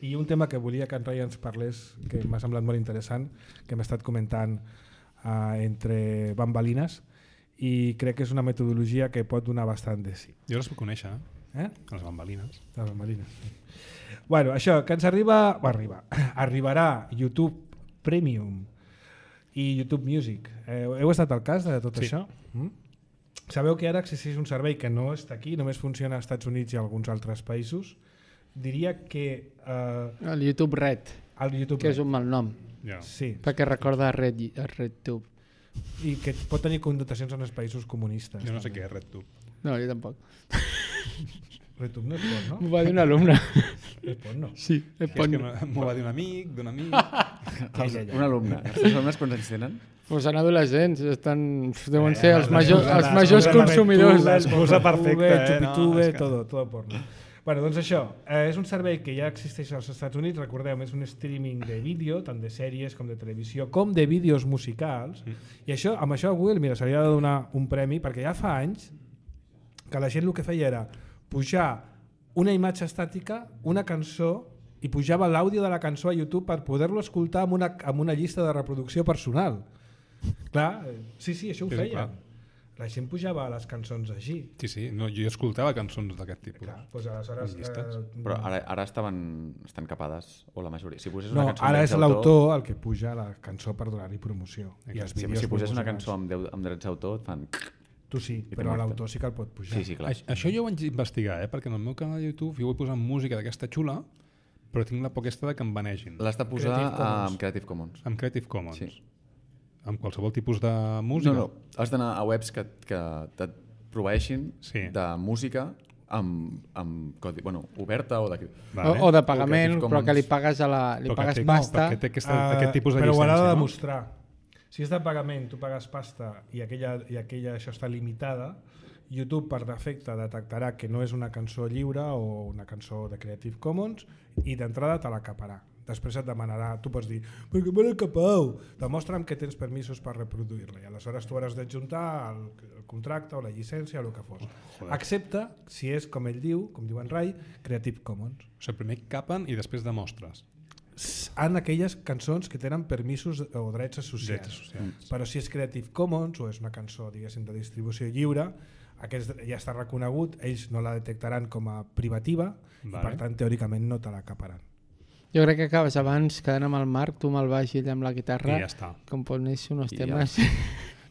i un tema que volia que en Rai ens parlés, que m'ha semblat molt interessant, que hem estat comentant uh, entre bambalines, i crec que és una metodologia que pot donar bastant de sí. Jo les puc conèixer, Eh? les bambalines. Les bambalines. Sí. Bueno, això, que ens arriba, va arribar, arribarà YouTube Premium i YouTube Music. Eh, heu estat al cas de tot Sí. això? Mm? Sabeu que ara existeix un servei que no està aquí, només funciona als Estats Units i alguns altres països. Diria que eh, El YouTube Red, el YouTube que és un mal nom, Ja. sí, perquè recorda a Red, a RedTube. i que pot tenir connotacions en els països comunistes. Jo no sé també. què és RedTube. No, jo tampoc. RedTube no és porno? M'ho va dir un alumne. És porno. Sí, és És que porno. m'ho va dir un amic, d'un amic... Ja, ja, ja. Un alumne. Els alumnes quants anys tenen? Pues són adolescents, estan, deuen Eh, ser els la majors, excusa, els la majors excusa, la consumidors. RedTube, L'excusa perfecta, eh? Chupitube, No, és que- todo, todo porno. Bueno, doncs això, eh, és un servei que ja existeix als Estats Units, recordeu, és un streaming de vídeo, tant de sèries com de televisió, com de vídeos musicals, mm. i això, amb això a Google, mira, s'hauria de donar un premi, perquè ja fa anys que la gent el que feia era pujar una imatge estàtica, una cançó, i pujava l'àudio de la cançó a YouTube per poder-lo escoltar amb una, amb una llista de reproducció personal. Clar, eh, sí, sí, això ho Sí, sí, feien. clar. La gent pujava les cançons així. Sí, sí, no, jo escoltava cançons d'aquest tipus. Clar, doncs aleshores... I llistes. Eh, Però ara, ara estaven, estan capades, o la majoria. Si posés no, una cançó ara amb és drets l'autor el que puja la cançó per donar-li promoció. I els Si, vídeos si posés una promocionals. cançó amb, deu, amb drets d'autor, et fan... Tu sí, I però te l'autor sí que el pot pujar. Sí, sí, clar. Aix- Això jo ho vaig investigar, eh? Perquè en el meu canal de YouTube jo vull posar música d'aquesta xula, però tinc la por aquesta de que em banegin. L'has de posar Creative Commons. amb Creative Commons. Amb Creative Commons. Sí. Amb qualsevol tipus de música. No, no, has d'anar a webs que, que et proveeixin Sí. de música amb, amb codi, bueno, oberta o de... Vale. O, o de pagament, Creative però que li Commons. pagues, a la, li Però que pagues té- pasta. perquè té aquesta, Ah, aquest tipus de però ho llicència, haurà de no? demostrar. Si és de pagament, tu pagues pasta i aquella, i aquella això està limitada, YouTube per defecte detectarà que no és una cançó lliure o una cançó de Creative Commons i d'entrada te la caparà. Després et demanarà, tu pots dir, per què me l'he capau? Demostra'm que tens permisos per reproduir-la i aleshores tu hauràs d'adjuntar el, el contracte o la llicència o el que fos. Joder. Excepte si és, com ell diu, com diu en Rai, Creative Commons. O sigui, primer capen i després demostres. en aquelles cançons que tenen permisos o drets associats. Drets associats. Però si és Creative Commons o és una cançó, diguéssim, de distribució lliure, aquest ja està reconegut, ells no la detectaran com a privativa vale. I per tant teòricament no te la caparan. Jo crec que acabes abans quedant amb el Marc, tu amb el baix i ell amb la guitarra, I ja està. componeix uns I temes. ja.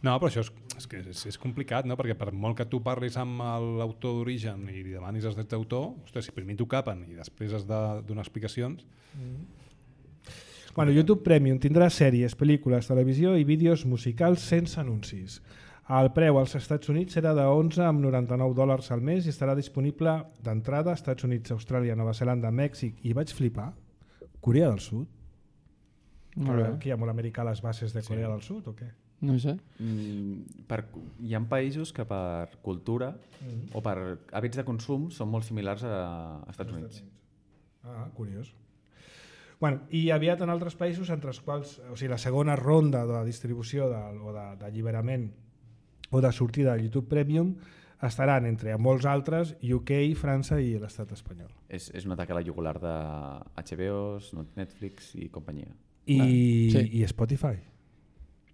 No, però això és, és, que és, és complicat, no? Perquè per molt que tu parlis amb l'autor d'origen i li demanis els drets d'autor, ostres, si primer t'ho capen i després has de donar explicacions... Mm. Bueno, YouTube Premium tindrà sèries, pel·lícules, televisió i vídeos musicals sense anuncis. El preu als Estats Units serà de onze coma noranta-nou dòlars al mes i estarà disponible d'entrada a Estats Units, Austràlia, Nova Zelanda, Mèxic i vaig flipar, Corea del Sud. Però aquí hi ha molt americà a les bases de Corea sí. del Sud o què? No sé. Mm, per, hi ha països que per cultura mm. o per hàbits de consum són molt similars a, a Estats Units. Ah, curiós. Bueno, i aviat en altres països, entre els quals, o sigui, la segona ronda de distribució de, o d'alliberament o de sortida de YouTube Premium estaran entre molts altres U K, França i l'estat espanyol. És, és un atac a la jugular de H B O, Netflix i companyia. I, ah, sí. i Spotify.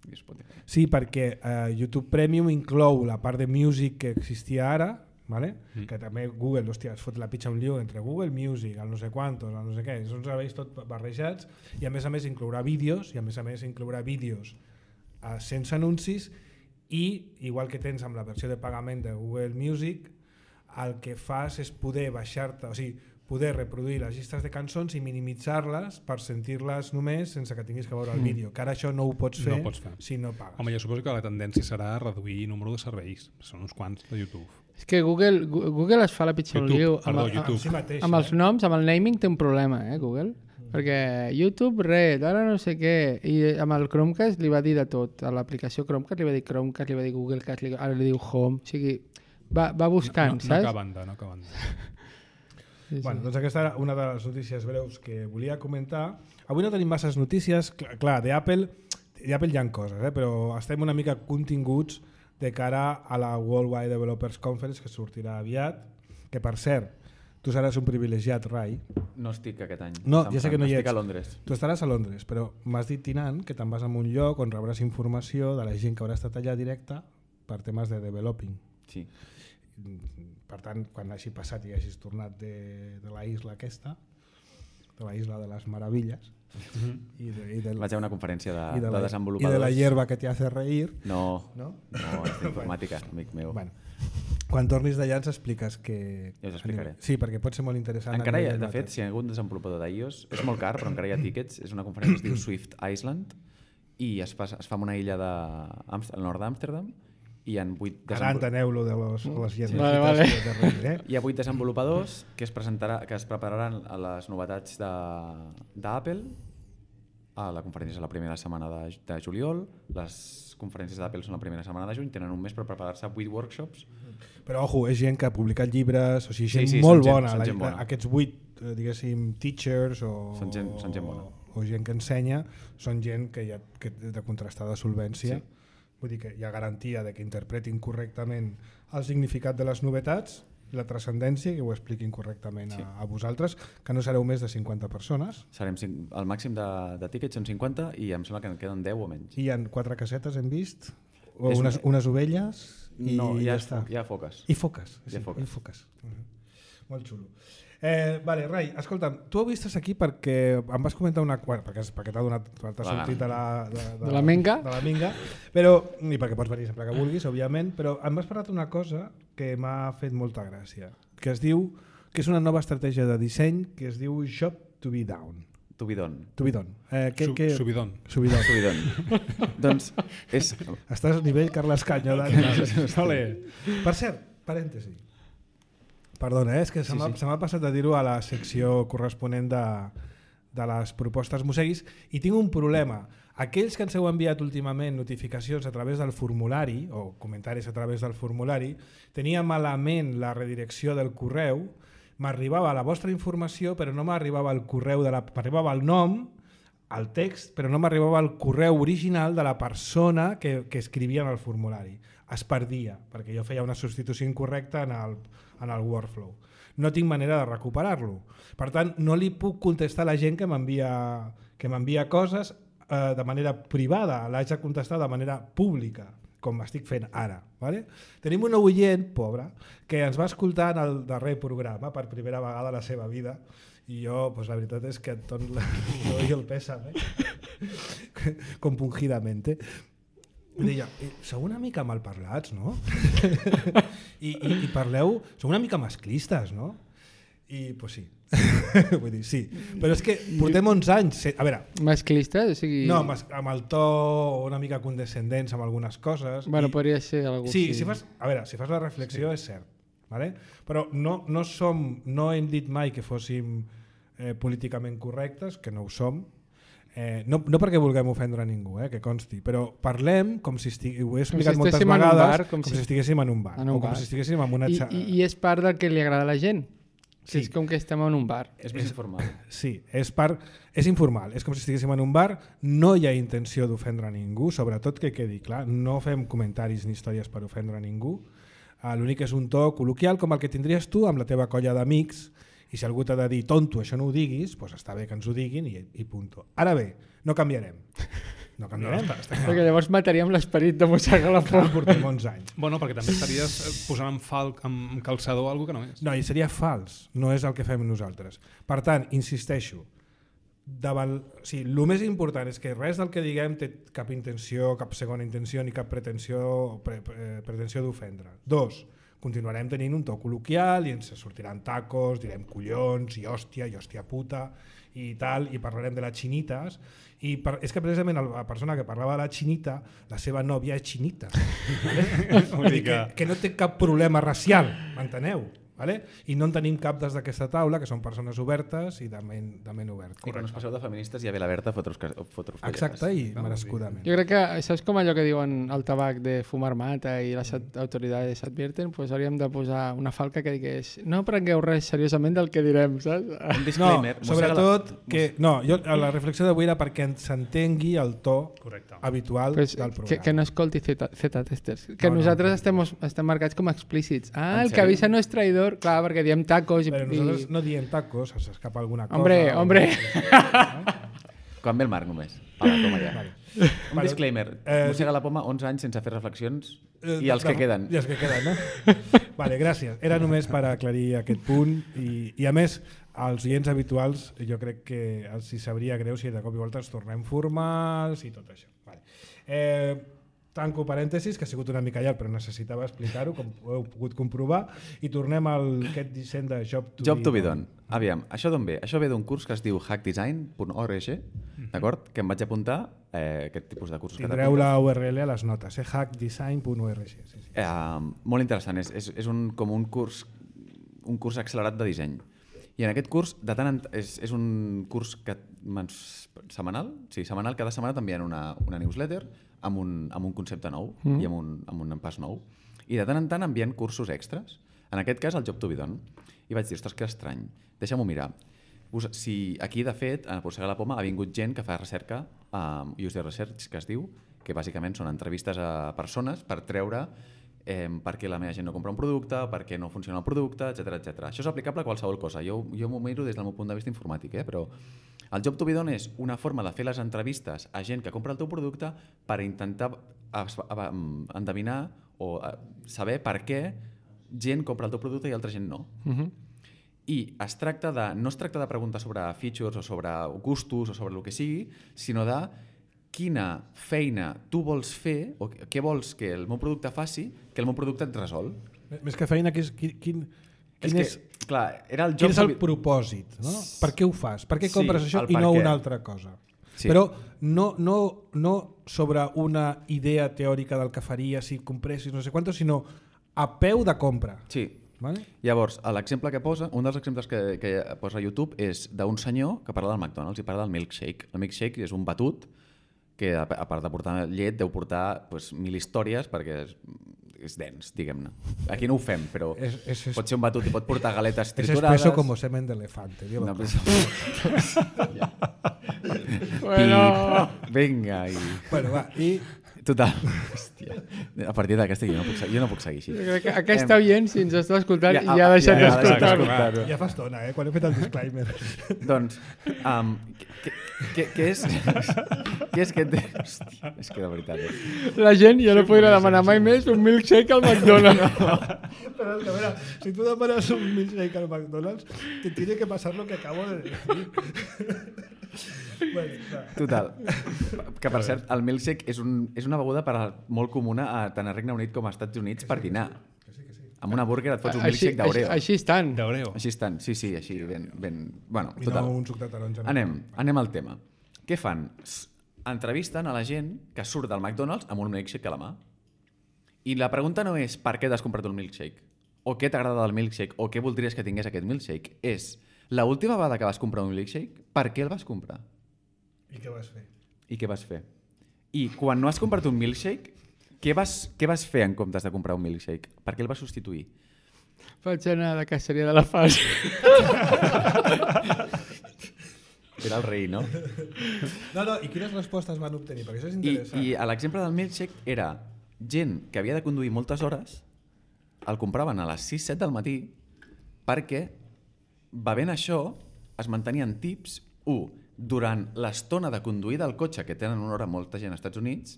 I Spotify. Sí, perquè uh, YouTube Premium inclou la part de music que existia ara, ¿vale? Mm. Que també Google, hòstia, es fot la pitxa un lío entre Google Music, el no sé quantos, el no sé què, són serveis tot barrejats i a més a més inclourà vídeos i a més a més inclourà vídeos uh, sense anuncis i igual que tens amb la versió de pagament de Google Music, el que fas és poder baixar-te, o sigui, poder reproduir les llistes de cançons i minimitzar-les per sentir-les només sense que tinguis que veure el vídeo, que ara això no ho pots fer, no pots fer. Si no pagues. Home, jo suposo que la tendència serà reduir el número de serveis, són uns quants de YouTube. És que Google, Google es fa la pitjor YouTube, lío. perdó, amb, YouTube. Amb, si mateix, amb els eh? noms, amb el naming té un problema, eh, Google? Mm. Perquè YouTube, res, ara no sé què, i amb el Chromecast li va dir de tot, a l'aplicació Chromecast li va dir Chromecast, li va dir Googlecast, li, ara li diu Home, o sigui, va, va buscant, no, no, saps? No acaben de, no acaben de. Sí, bueno, doncs aquesta era una de les notícies breus que volia comentar. Avui no tenim masses notícies, clar, clar d'Apple d'Apple hi ha coses, eh? Però estem una mica continguts de cara a la Worldwide Developers Conference que sortirà aviat, que per cert, tu seràs un privilegiat, Rai. No estic aquest any. No, ja sé que no hi ets. Estic a Londres. Tu estaràs a Londres, però m'has dit, Tinant, que te'n vas a un lloc on rebràs informació de la gent que haurà estat allà directa per temes de developing. Sí. Per tant, quan hagi passat i hagis tornat de, de la isla aquesta, de la isla de les meravilles, Mm-hmm. i de, i del, vaig a una conferència de, i de, de la, desenvolupadors. i de la hierba que te hace reír. No, no, no és d'informàtica, amic meu. Bueno, quan tornis d'allà ens expliques que... Ja us explicaré. Sí, perquè pot ser molt interessant. Encara hi ha, de fet, si hi ha hagut un desenvolupador d'iOS, és molt car, però encara hi ha tíquets, és una conferència que es diu Swift Island, i es fa, es fa en una illa de, al nord d'Amsterdam, i hi ha vuit Ara enteneu-lo de les, les lletres. Vale, vale. De reír, eh? Hi ha vuit desenvolupadors que es, presentarà, que es prepararan a les novetats d'Apple. A la conferència és la primera setmana de, de juliol, les conferències d'Apple són la primera setmana de juny, tenen un mes per preparar-se vuit workshops. Però, ojo, és gent que ha publicat llibres, o sigui, gent sí, sí, molt gent, bona. La, gent bona. Aquests vuit, diguéssim, teachers o, són gent, són gent bona. o gent que ensenya, són gent que hi ha que de contrastada solvència. Sí. Vull dir que hi ha garantia de que interpretin correctament el significat de les novetats, la transcendència, que ho expliquin correctament sí. a, a vosaltres, que no sereu més de cinquanta persones. Serem cinc, el màxim de, de tíquets són cinquanta i em sembla que en queden deu o menys. I hi ha quatre casetes, hem vist, o És unes, una... unes ovelles i no, ja, ja està. Hi ha foques. I foques. Hi ha sí, foques. I foques. Uh-huh. Molt xulo. Eh, vale, Rai, escolta'm, tu ho vistes aquí perquè em vas comentar una... Bueno, perquè, perquè t'ha donat, t'ha sortit de la... De, de, de la minga. De la minga, però, i perquè pots venir sempre que vulguis, òbviament, però em vas parlar d'una cosa que m'ha fet molta gràcia, que es diu, que és una nova estratègia de disseny que es diu Job to be down. To be done. To be done. Eh, que, Su, que... Subidon. Subidon. Subidon. Doncs és... Estàs a nivell Carles Canyo. Vale. Per cert, parèntesi. Perdona, eh? És que se m'ha sí, sí. passat a dir-ho a la secció corresponent de, de les propostes Museguis i tinc un problema. Aquells que ens heu enviat últimament notificacions a través del formulari o comentaris a través del formulari, tenia malament la redirecció del correu, m'arribava la vostra informació però no m'arribava el correu, de la, m'arribava el nom, el text, però no m'arribava el correu original de la persona que, que escrivia en el formulari. Es perdia, perquè jo feia una substitució incorrecta en el, en el workflow. No tinc manera de recuperar-lo. Per tant, no li puc contestar a la gent que m'envia que m'envia coses eh, de manera privada, l'haig de contestar de manera pública, com estic fent ara. Vale? Tenim un oient, pobre, que ens va escoltar en el darrer programa per primera vegada a la seva vida, i jo, pues, la veritat és que et dono el pèsam, eh? compungidamente. I deia, sou una mica malparlats, no? I, i, i parleu, sou una mica masclistes, no? I, pues sí. Vull dir, sí. Però és que portem onze anys... A veure... Masclistes? O sigui... No, amb el to una mica condescendents amb algunes coses. Bueno, i... podria ser algú... Sí, si fas... a veure, si fas la reflexió sí. És cert. Vale? Però no, no som... No hem dit mai que fóssim eh, políticament correctes, que no ho som. Eh, no, no perquè vulguem ofendre a ningú, eh, que consti, però parlem com si estiguéssim, ho he explicat si moltes vegades, bar, com, com si... si estiguéssim en un bar, en un o com bar. si estiguéssim en una... I, i, I és part del que li agrada a la gent. Sí. És com que estem en un bar. És més informal. Sí, és, part, és informal. És com si estiguéssim en un bar, no hi ha intenció d'ofendre a ningú, sobretot que quedi clar, no fem comentaris ni històries per ofendre a ningú. Uh, L'únic és un to col·loquial com el que tindries tu amb la teva colla d'amics, i si algú t'ha de dir, tonto, això no ho diguis, doncs està bé que ens ho diguin i, i punto. Ara bé, no canviarem. No canviarem. No, està, està perquè llavors mataríem l'esperit de mossegar la por. Portem onze anys. Bueno, perquè també estaries posant en, fal, en calçador algo que no és. No, i seria fals, no és el que fem nosaltres. Per tant, insisteixo, davant, o sigui, el més important és que res del que diguem té cap intenció, cap segona intenció ni cap pretensió, pre, pre, pretensió d'ofendre. Dos, continuarem tenint un to col·loquial i ens sortiran tacos, direm collons i hòstia i hòstia puta i tal, i parlarem de les xinites i per, és que precisament la persona que parlava de la xinita, la seva nòvia és xinita. Vale? que, que no té cap problema racial, m'enteneu? Vale? I no en tenim cap des d'aquesta taula, que són persones obertes i de ment, de ment obert. I quan us passeu de feministes ja ve la Berta a fotre-us collades. Exacte, i no, merescudament. Jo crec que, saps com allò que diuen el tabac de fumar mata i les autoritats advierten? Pues hauríem de posar una falca que digués no prengueu res seriosament del que direm, saps? Un disclaimer. No, sobretot la... que... No, jo, la reflexió d'avui era perquè s'entengui el to Correcte. habitual pues, del programa. Que, que no escolti Z-testers. Que no, nosaltres no, estem, estem marcats com a explícits. Ah, el que avisa no és traïdor. Clar, perquè diem tacos i... Però nosaltres no diem tacos, s'escapa alguna cosa. Hombre, o... hombre. Quan ve el Marc només. Vale, toma ja. Vale. Un vale. disclaimer. Eh, Mossega la poma, onze anys sense fer reflexions eh, i els que no, queden. I els que queden, no? Vale, gràcies. Era només per aclarir aquest punt i, i a més, als oients habituals jo crec que els hi sabria greu si de cop i volta ens tornem formals i tot això. Vale. Eh, tanco parèntesis, que ha sigut una mica llarg però necessitava explicar-ho, com heu pogut comprovar, i tornem al aquest disseny de Job to, Job to be done. Aviam, això d'on ve? Això ve d'un curs que es diu hack design punt org, d'acord? Que em vaig apuntar, eh, aquest tipus de cursos. Tindreu la U R L a les notes, eh? hack design punt org. Sí, sí. Eh, molt interessant, és, és, és un, com un curs, un curs accelerat de disseny. I en aquest curs, de tant en, és, és un curs que, setmanal, sí, setmanal, cada setmana t'envien una, una newsletter amb un, amb un concepte nou mm. i amb un, amb un pas nou. I de tant en tant envien cursos extras. En aquest cas, el Job to be done. I vaig dir, ostres, que estrany. Deixa'm-ho mirar. Si aquí, de fet, a Mossega la Poma ha vingut gent que fa recerca, um, user research, que es diu, que bàsicament són entrevistes a persones per treure eh, per què la meva gent no compra un producte, per què no funciona el producte, etcètera, etcètera. Això és aplicable a qualsevol cosa. Jo, jo m'ho miro des del meu punt de vista informàtic, eh? Però el Job to be done és una forma de fer les entrevistes a gent que compra el teu producte per intentar endevinar o saber per què gent compra el teu producte i altra gent no. Uh-huh. I es tracta de, no es tracta de preguntar sobre features o sobre gustos o sobre el que sigui, sinó de quina feina tu vols fer o què vols que el meu producte faci que el meu producte et resol. Més que feina, quin, quin, és quin que, és, clar, era el quin és el propòsit? No? Per què ho fas? Per què compres sí, això i no què. una altra cosa? Sí. Però no, no, no sobre una idea teòrica del que faria si compressis no sé quantos, sinó a peu de compra. Sí. Vale? Llavors, l'exemple que posa, un dels exemples que, que posa a YouTube és d'un senyor que parla del McDonald's i parla del milkshake. El milkshake és un batut que, a part de portar llet, deu portar pues, mil històries perquè és, és dens, diguem-ne. Aquí no ho fem, però és, és, és, pot ser un batut i pot portar galetes triturades. És espeso com semen d'elefante. No, pues... bueno. Vinga. I... Bueno, va, i... Total. Hòstia. A partir d'aquesta jo no puc, jo no puc seguir així. Jo crec que aquesta Em... oient, si ens està escoltant, ja, ja ha deixat ja, d'escoltar-ho. Ja fa estona, eh? Quan he fet el disclaimer. Doncs, um, Què, què, què és? Què és que... Té... Hòstia, és que de veritat... Eh? La gent ja no podrà demanar mai més un milkshake al McDonald's. Però és que, a veure, si tu demanes un milkshake al McDonald's, te tiene que pasar lo que acabo de decir. Bueno, clar. Total. Que, per cert, el milkshake és, un, és una beguda per a, molt comuna a, tant a Regne Unit com a Estats Units per dinar. Amb una burger et fots un Així, milkshake d'Oreo. així, així estan. D'Oreo. Així estan, sí, sí, així, ben... ben... Bueno, I total. no un suc de taronja. No? Anem, anem al tema. Què fan? S- Entrevisten a la gent que surt del McDonald's amb un milkshake a la mà. I la pregunta no és per què t'has comprat un milkshake, o què t'agrada del milkshake, o què voldries que tingués aquest milkshake. És, l'última vegada que vas comprar un milkshake, per què el vas comprar? I què vas fer? I què vas fer? I quan no has comprat un milkshake, què vas, què vas fer en comptes de comprar un milkshake? Per què el vas substituir? Vaig anar a la caceria de la fas. Era el rei, no? No, no, i quines respostes van obtenir? Perquè això és I, interessant. I a l'exemple del milkshake era gent que havia de conduir moltes hores, el compraven a les sis set del matí perquè, bevent això, es mantenien tips. Un, durant l'estona de conduir del cotxe, que tenen una hora molta gent als Estats Units,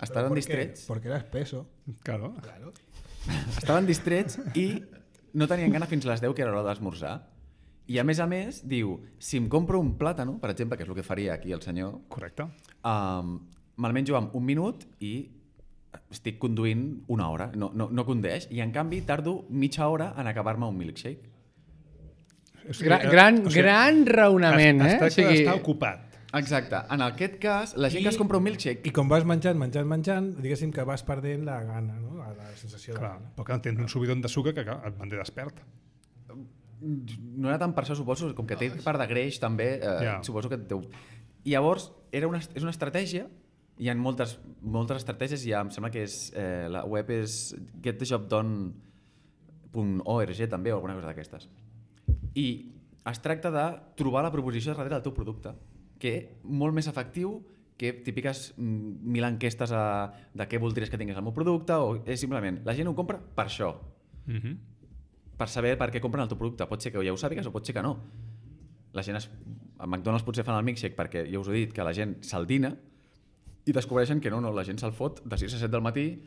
estaven ¿Por qué? distrets, Porque era espeso. Claro. Claro. estaven distrets i no tenien gana fins a les deu, que era l'hora d'esmorzar. I a més a més, diu, si em compro un plàtano, per exemple, que és el que faria aquí el senyor, Correcte. um, me'l menjo en un minut i estic conduint una hora, no, no, no condeix, i en canvi tardo mitja hora en acabar-me un milkshake. O Gran, gran, o sigui, gran raonament, es, eh? es tracta d'estar ocupat. Exacte. En aquest cas, la gent I- que es compra un milkshake... I com vas menjant, menjant, menjant, diguéssim que vas perdent la gana, no? La, la sensació Clar, de gana. però que tens un subidon de sucre que clar, et manté despert. No era tant per això, suposo, com que té part de greix també, eh, Ja. suposo que et deu... I llavors, era una, és una estratègia, hi ha moltes, moltes estratègies, i ja em sembla que és, eh, la web és get the job done punt org també, o alguna cosa d'aquestes. I es tracta de trobar la proposició darrere del teu producte, que molt més efectiu que típiques mm, mil enquestes a, de què voldries que tingués el meu producte, o és simplement, la gent ho compra per això, Mm -hmm. per saber per què compren el teu producte. Pot ser que ja ho sàpigues o pot ser que no. La gent es... A McDonald's potser fan el milkshake perquè, ja us he dit, que la gent se'l dina i descobreixen que no, no, la gent se'l fot de sis a set del matí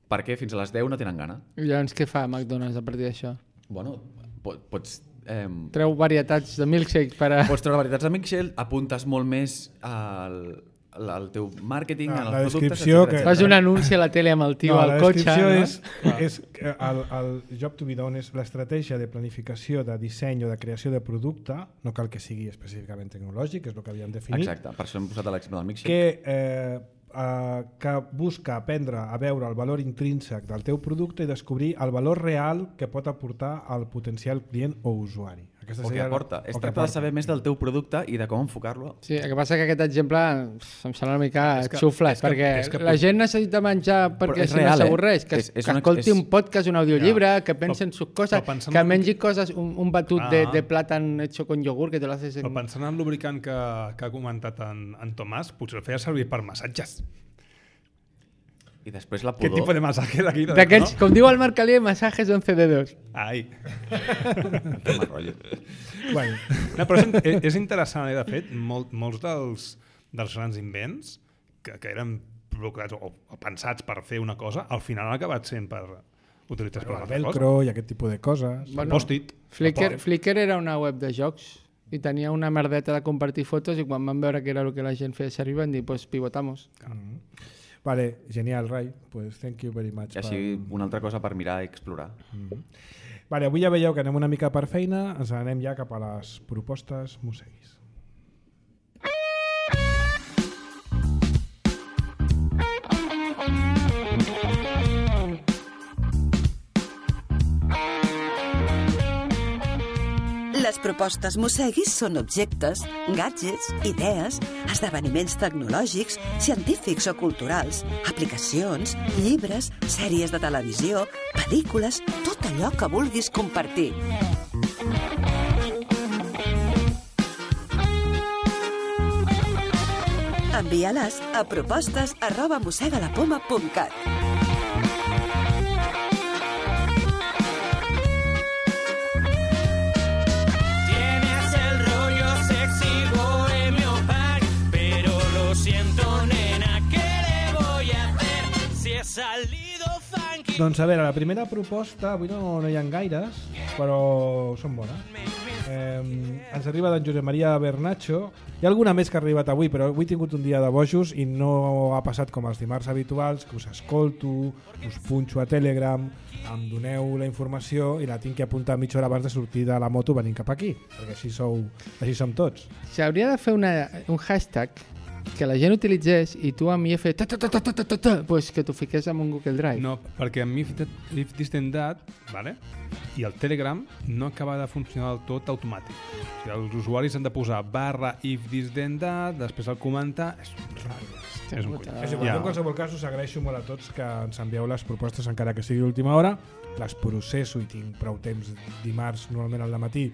perquè fins a les deu no tenen gana. I llavors què fa McDonald's a partir d'això? Bueno, pot, pots... Eh, Treu varietats de milkshake per a... pots treure varietats de milkshake, apuntes molt més al, al teu màrqueting, Ah, als la productes, descripció etcètera, que- Fas etcètera. un anunci a la tele amb el tio No, al la cotxe, descripció no? és, és que el, el job to be done és l'estratègia de planificació, de disseny o de creació de producte, no cal que sigui específicament tecnològic, és el que havíem definit, Exacte, per això hem posat l'exemple del milkshake. que, eh, eh, que busca aprendre a veure el valor intrínsec del teu producte i descobrir el valor real que pot aportar al potencial client o usuari. Aquesta O que seria la- aporta. Es o que tracta de aporta. saber més del teu producte i de com enfocar-lo. Sí, el que passa que aquest exemple pff, em sembla una mica És que- xuflat, és que- perquè és que- la gent necessita menjar perquè és si real, no eh? s'avorreix, que, És- és que una- escolti és- un podcast, un audiollibre, Ja. que pensi en sus coses, però pensant que en- mengi coses, un, un batut Ah. de, de plàtan hecho con yogur, que te lo haces en... Però pensant en el lubricant que, que ha comentat en, en Tomàs, potser el feia servir per massatges. I després la Què pudor... tipus de massatge d'aquí? D'aquells, com diu el Marc Alier, masajes once dedos. Ai. Que mal rotllo. Bueno, No, però és, és- és interessant, eh? De fet, molt, molts dels, dels grans invents que, que eren provocats o, o pensats per fer una cosa, al final han acabat sent per utilitzats per el una altra cosa. velcro i aquest tipus de coses. El post-it. Flickr, el Flickr era una web de jocs i tenia una merdeta de compartir fotos i quan van veure que era el que la gent feia servir van dir, pues pivotamos. Mm. Vale, genial, Rai. Pues thank you very much. I així una altra cosa per mirar i explorar. Mm. Vale, avui ja veieu que anem una mica per feina, ens anem ja cap a les propostes musseguis. Les propostes Mosseguis són objectes, gadgets, idees, esdeveniments tecnològics, científics o culturals, aplicacions, llibres, sèries de televisió, pel·lícules, tot allò que vulguis compartir. Envia-les a propostes arroba mossegalapoma punt cat. Tienes el rollo sexy bohemio para Doncs a veure, la primera proposta, avui no, no hi ha gaires, però són bones. Eh, ens arriba d'en Josep Maria Bernacho. Hi ha alguna més que ha arribat avui, però avui he tingut un dia de bojos i no ha passat com els dimarts habituals, que us escolto, us punxo a Telegram, em doneu la informació i la tinc que apuntar mitja hora abans de sortir de la moto venint cap aquí, perquè així, sou, així som tots. S'hauria de fer una, un hashtag que la gent utilitzés i tu a mi he fet ta, ta, ta, ta, ta, ta, ta, pues que t'ho fiqués en un Google Drive. No, perquè a mi if this then that, vale? I el Telegram no acaba de funcionar del tot automàtic. O sigui, els usuaris han de posar barra if this then that, després el comentar... És un ratlles. És un coll. És igual, ja. En qualsevol cas us agraeixo molt a tots que ens envieu les propostes encara que sigui l'última hora. Les processo i tinc prou temps dimarts normalment al matí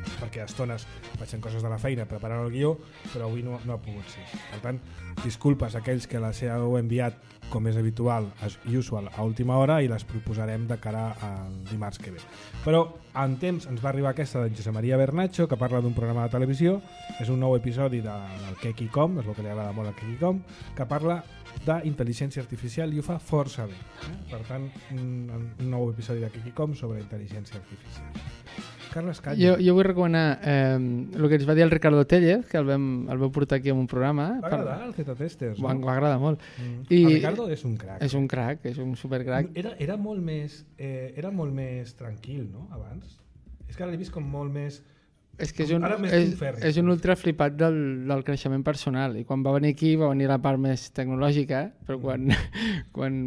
perquè a estones vaig fent coses de la feina preparant el guió, però avui no, no ha pogut ser. Per tant, disculpes a aquells que les heu enviat com és habitual i usual a última hora i les proposarem de cara al dimarts que ve. Però en temps ens va arribar aquesta de Josep Maria Bernacho, que parla d'un programa de televisió. És un nou episodi de, del Kekicom, és el que li agrada molt al Kekicom, que parla d'intel·ligència artificial i ho fa força bé. Eh? Per tant, un, un nou episodi de Kekicom sobre intel·ligència artificial. Carles Canya. Jo, jo vull recomanar eh, el que ens va dir el Ricardo Tellez, que el vam, el vam portar aquí en un programa. Va agradar el Z-Testers, no? Va agradar molt. Mm. I el Ricardo és un crac. És un crac, és un supercrac. Era, era, molt més, eh, era molt més tranquil, no?, abans. És que ara l'he vist com molt més... És que és un, és, és un ultra flipat del, del creixement personal, i quan va venir aquí va venir la part més tecnològica, però quan, mm. quan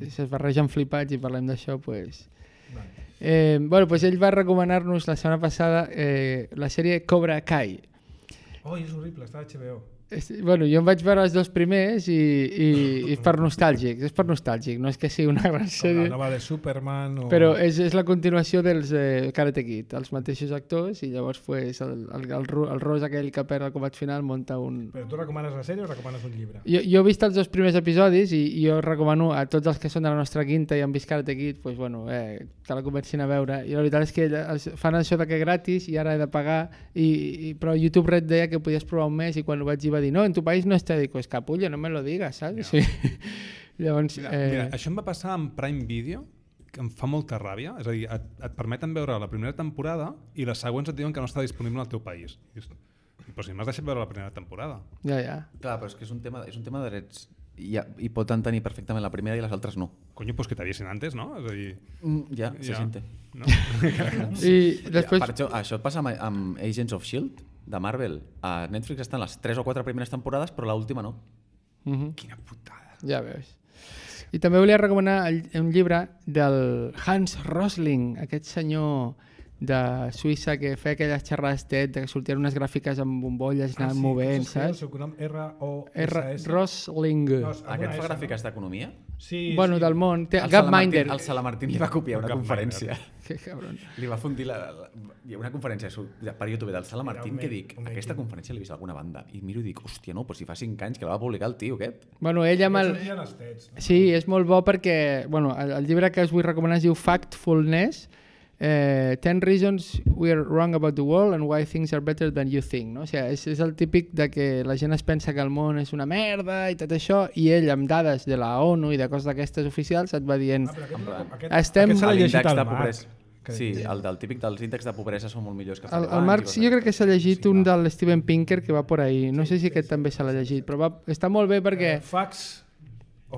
es barregen flipats i parlem d'això, pues... Vale. Eh, bueno, pues ell va recomanar-nos la setmana passada eh, la sèrie Cobra Kai. Oh, és horrible, està a H B O. És, bueno, jo em vaig veure els dos primers i, i, i per nostàlgic, és per nostàlgic, no és que sigui una gran sèrie. La nova de Superman o... Però és, és la continuació dels eh, Karate Kid, els mateixos actors, i llavors pues, el, el, el, el Ros aquell que perd el combat final munta un... Però tu recomanes la sèrie o recomanes un llibre? Jo, jo he vist els dos primers episodis i, i jo recomano a tots els que són de la nostra quinta i han vist Karate Kid, pues, bueno, eh, que la comencin a veure. I la veritat és que fan això de que gratis i ara he de pagar, i, i, però YouTube Red deia que podies provar un mes i quan ho vaig dir va dir no, en tu país no està, dic, pues capullo, no me lo digas, saps? Ja. Sí. Llavors, mira, eh... mira, això em va passar amb Prime Video, que em fa molta ràbia, és a dir, et, et permeten veure la primera temporada i les següents et diuen que no està disponible al teu país. I dius, però si m'has deixat veure la primera temporada. Ja, ja. Clar, però és que és un tema, és un tema de drets. I, i poden tenir perfectament la primera i les altres no. Coño, pues que t'aviessin antes, no? És a dir... Mm, ja, se ja. siente. No? I després... Ja, per això, això passa amb, amb Agents of S H I E L D, de Marvel. A Netflix estan les tres o quatre primeres temporades, però l'última no. Uh-huh. Quina putada. Ja veus. I també volia recomanar el, un llibre del Hans Rosling, aquest senyor de Suïssa que feia aquelles xerrades TED que sortien unes gràfiques amb bombolles anant ah, sí, movent, saps? El seu cognom R O S S. Rosling. No, aquest fa gràfiques d'economia? Sí, bueno, sí. del món. Té, el Gapminder. El Salamartín li va copiar una conferència. Que cabron. Li va fundir la, la, una conferència per YouTube del Salamartín que dic, aquesta conferència l'he vist a alguna banda i miro i dic, hòstia, no, però si fa cinc anys que la va publicar el tio aquest. Bueno, ell amb el... Sí, és molt bo perquè, bueno, el, el llibre que us vull recomanar es diu Factfulness, Eh, ten reasons we are wrong about the world and why things are better than you think, no? O sigui, és, és el típic de que la gent es pensa que el món és una merda i tot això, i ell amb dades de la ONU i de coses d'aquestes oficials et va dient ah, aquest, aquest, estem... Aquest l'índex de pobresa. Sí, el del típic dels índexs de pobresa són molt millors que fa el, el Marx jo crec que s'ha llegit sí, un del Steven Pinker que va por ahí, no sí, sé si aquest sí, també se l'ha llegit, però va, està molt bé perquè... Eh, facts...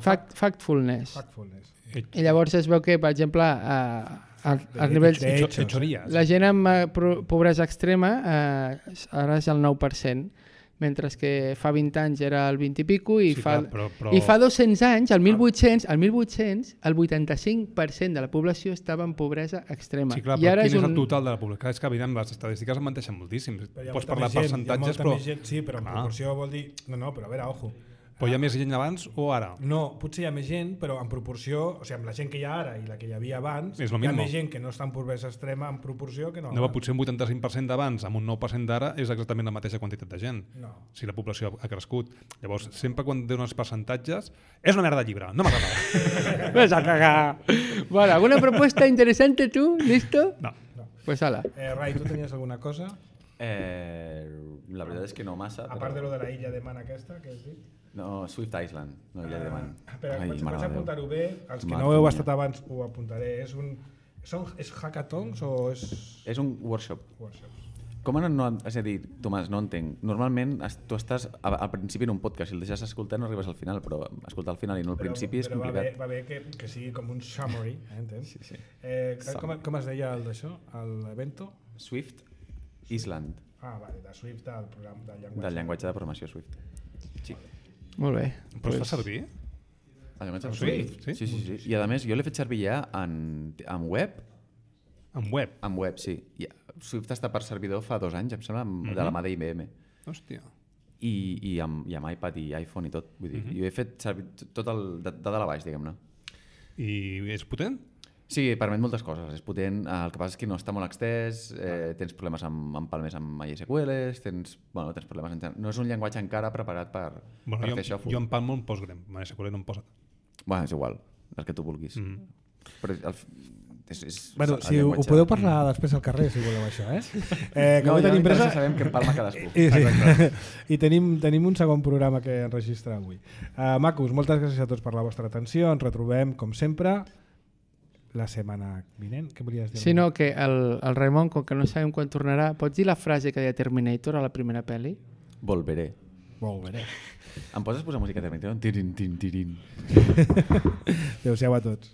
Fact, factfulness. Factfulness. I llavors es veu que, per exemple, a, a, a nivells... La gent amb pobresa extrema eh, ara és el nou per cent, mentre que fa vint anys era el vint i pico i, sí, fa, clar, però, però... i fa dos-cents anys, el mil vuit-cents, el mil vuit-cents, el vuitanta-cinc per cent de la població estava en pobresa extrema. Sí, clar, I però ara quin és, és un... el total de la població? És que, evident, les estadístiques em menteixen moltíssim. Pots parlar de percentatges, però... Gent, sí, però en ah. proporció vol dir... No, no, però a veure, ojo. Però hi ha més gent abans o ara? No, potser hi ha més gent, però en proporció, o sigui, amb la gent que hi ha ara i la que hi havia abans, hi ha més gent que no està en pobresa extrema en proporció que no. No, potser un vuitanta-cinc per cent d'abans amb un nou per cent d'ara és exactament la mateixa quantitat de gent. No. Si la població ha crescut. Llavors, sempre quan dones percentatges, és una merda de llibre, no m'agrada. Ves a cagar. Bueno, ¿alguna propuesta interesante tú? ¿Listo? No. no. Pues ala. Eh, Rai, ¿tú tenías alguna cosa? Eh, la veritat és que no massa. A part però... de lo de la illa de Man aquesta que has dit. No, Swift Island, no hi ha de man. Espera, Ai, vaig, mare vaig de Déu. apuntar-ho bé. Els que Mare no heu mia. estat abans ho apuntaré. És un... Són, és hackathons o és... És un workshop. workshops? Com no, no, és a dir, Tomàs, no entenc. Normalment es- tu estàs a- al principi en un podcast, si el deixes escoltar no arribes al final, però escoltar al final i no al principi és però va bé, complicat. va bé que, que sigui com un summary, eh, entens? Sí, sí. Eh, com, com es deia el d'això? L'evento? Swift Island, Ah, vale, de Swift, del programa del llenguatge. del llenguatge de programació Swift. Sí. Molt bé. Però es fa servir? El llenguatge de Swift, Swift? sí? Sí, sí, sí. I a més, jo l'he fet servir ja en, en web, En web. en web, sí. I Swift està per servidor fa dos anys, em sembla, amb- de la mà d'I B M. Hòstia. I, i, amb, i amb iPad i iPhone i tot. Vull dir, jo he fet servir tot el de, de dalt a baix, diguem-ne. I és potent? Sí, permet moltes coses, és potent, eh, el que passa és que no està molt extès, eh, tens problemes amb, amb palmes amb MySQL, tens, bueno, tens problemes en... No és un llenguatge encara preparat per, Bueno, per jo, fer això. jo en Palmo em Postgre, MySQL no em posa. Bueno, és igual, el que tu vulguis. Mm. Però el, és, és, Bueno, el si ho, ho llenguatge- podeu parlar després al carrer, si voleu això, eh? eh No, avui ja tenim m'interessa pressa... sabem que en palma cadascú. I, sí. I tenim, tenim un segon programa que enregistrar avui. Uh, macos, moltes gràcies a tots per la vostra atenció. Ens retrobem, com sempre, la setmana vinent. Què volies dir? Sí, no, que el, el Raimon, com que no sabem quan tornarà, pots dir la frase que deia Terminator a la primera pel·li? Volveré. Volveré. Em poses posar música de Terminator? Tirin, tirin, tirin. Adéu-siau a tots.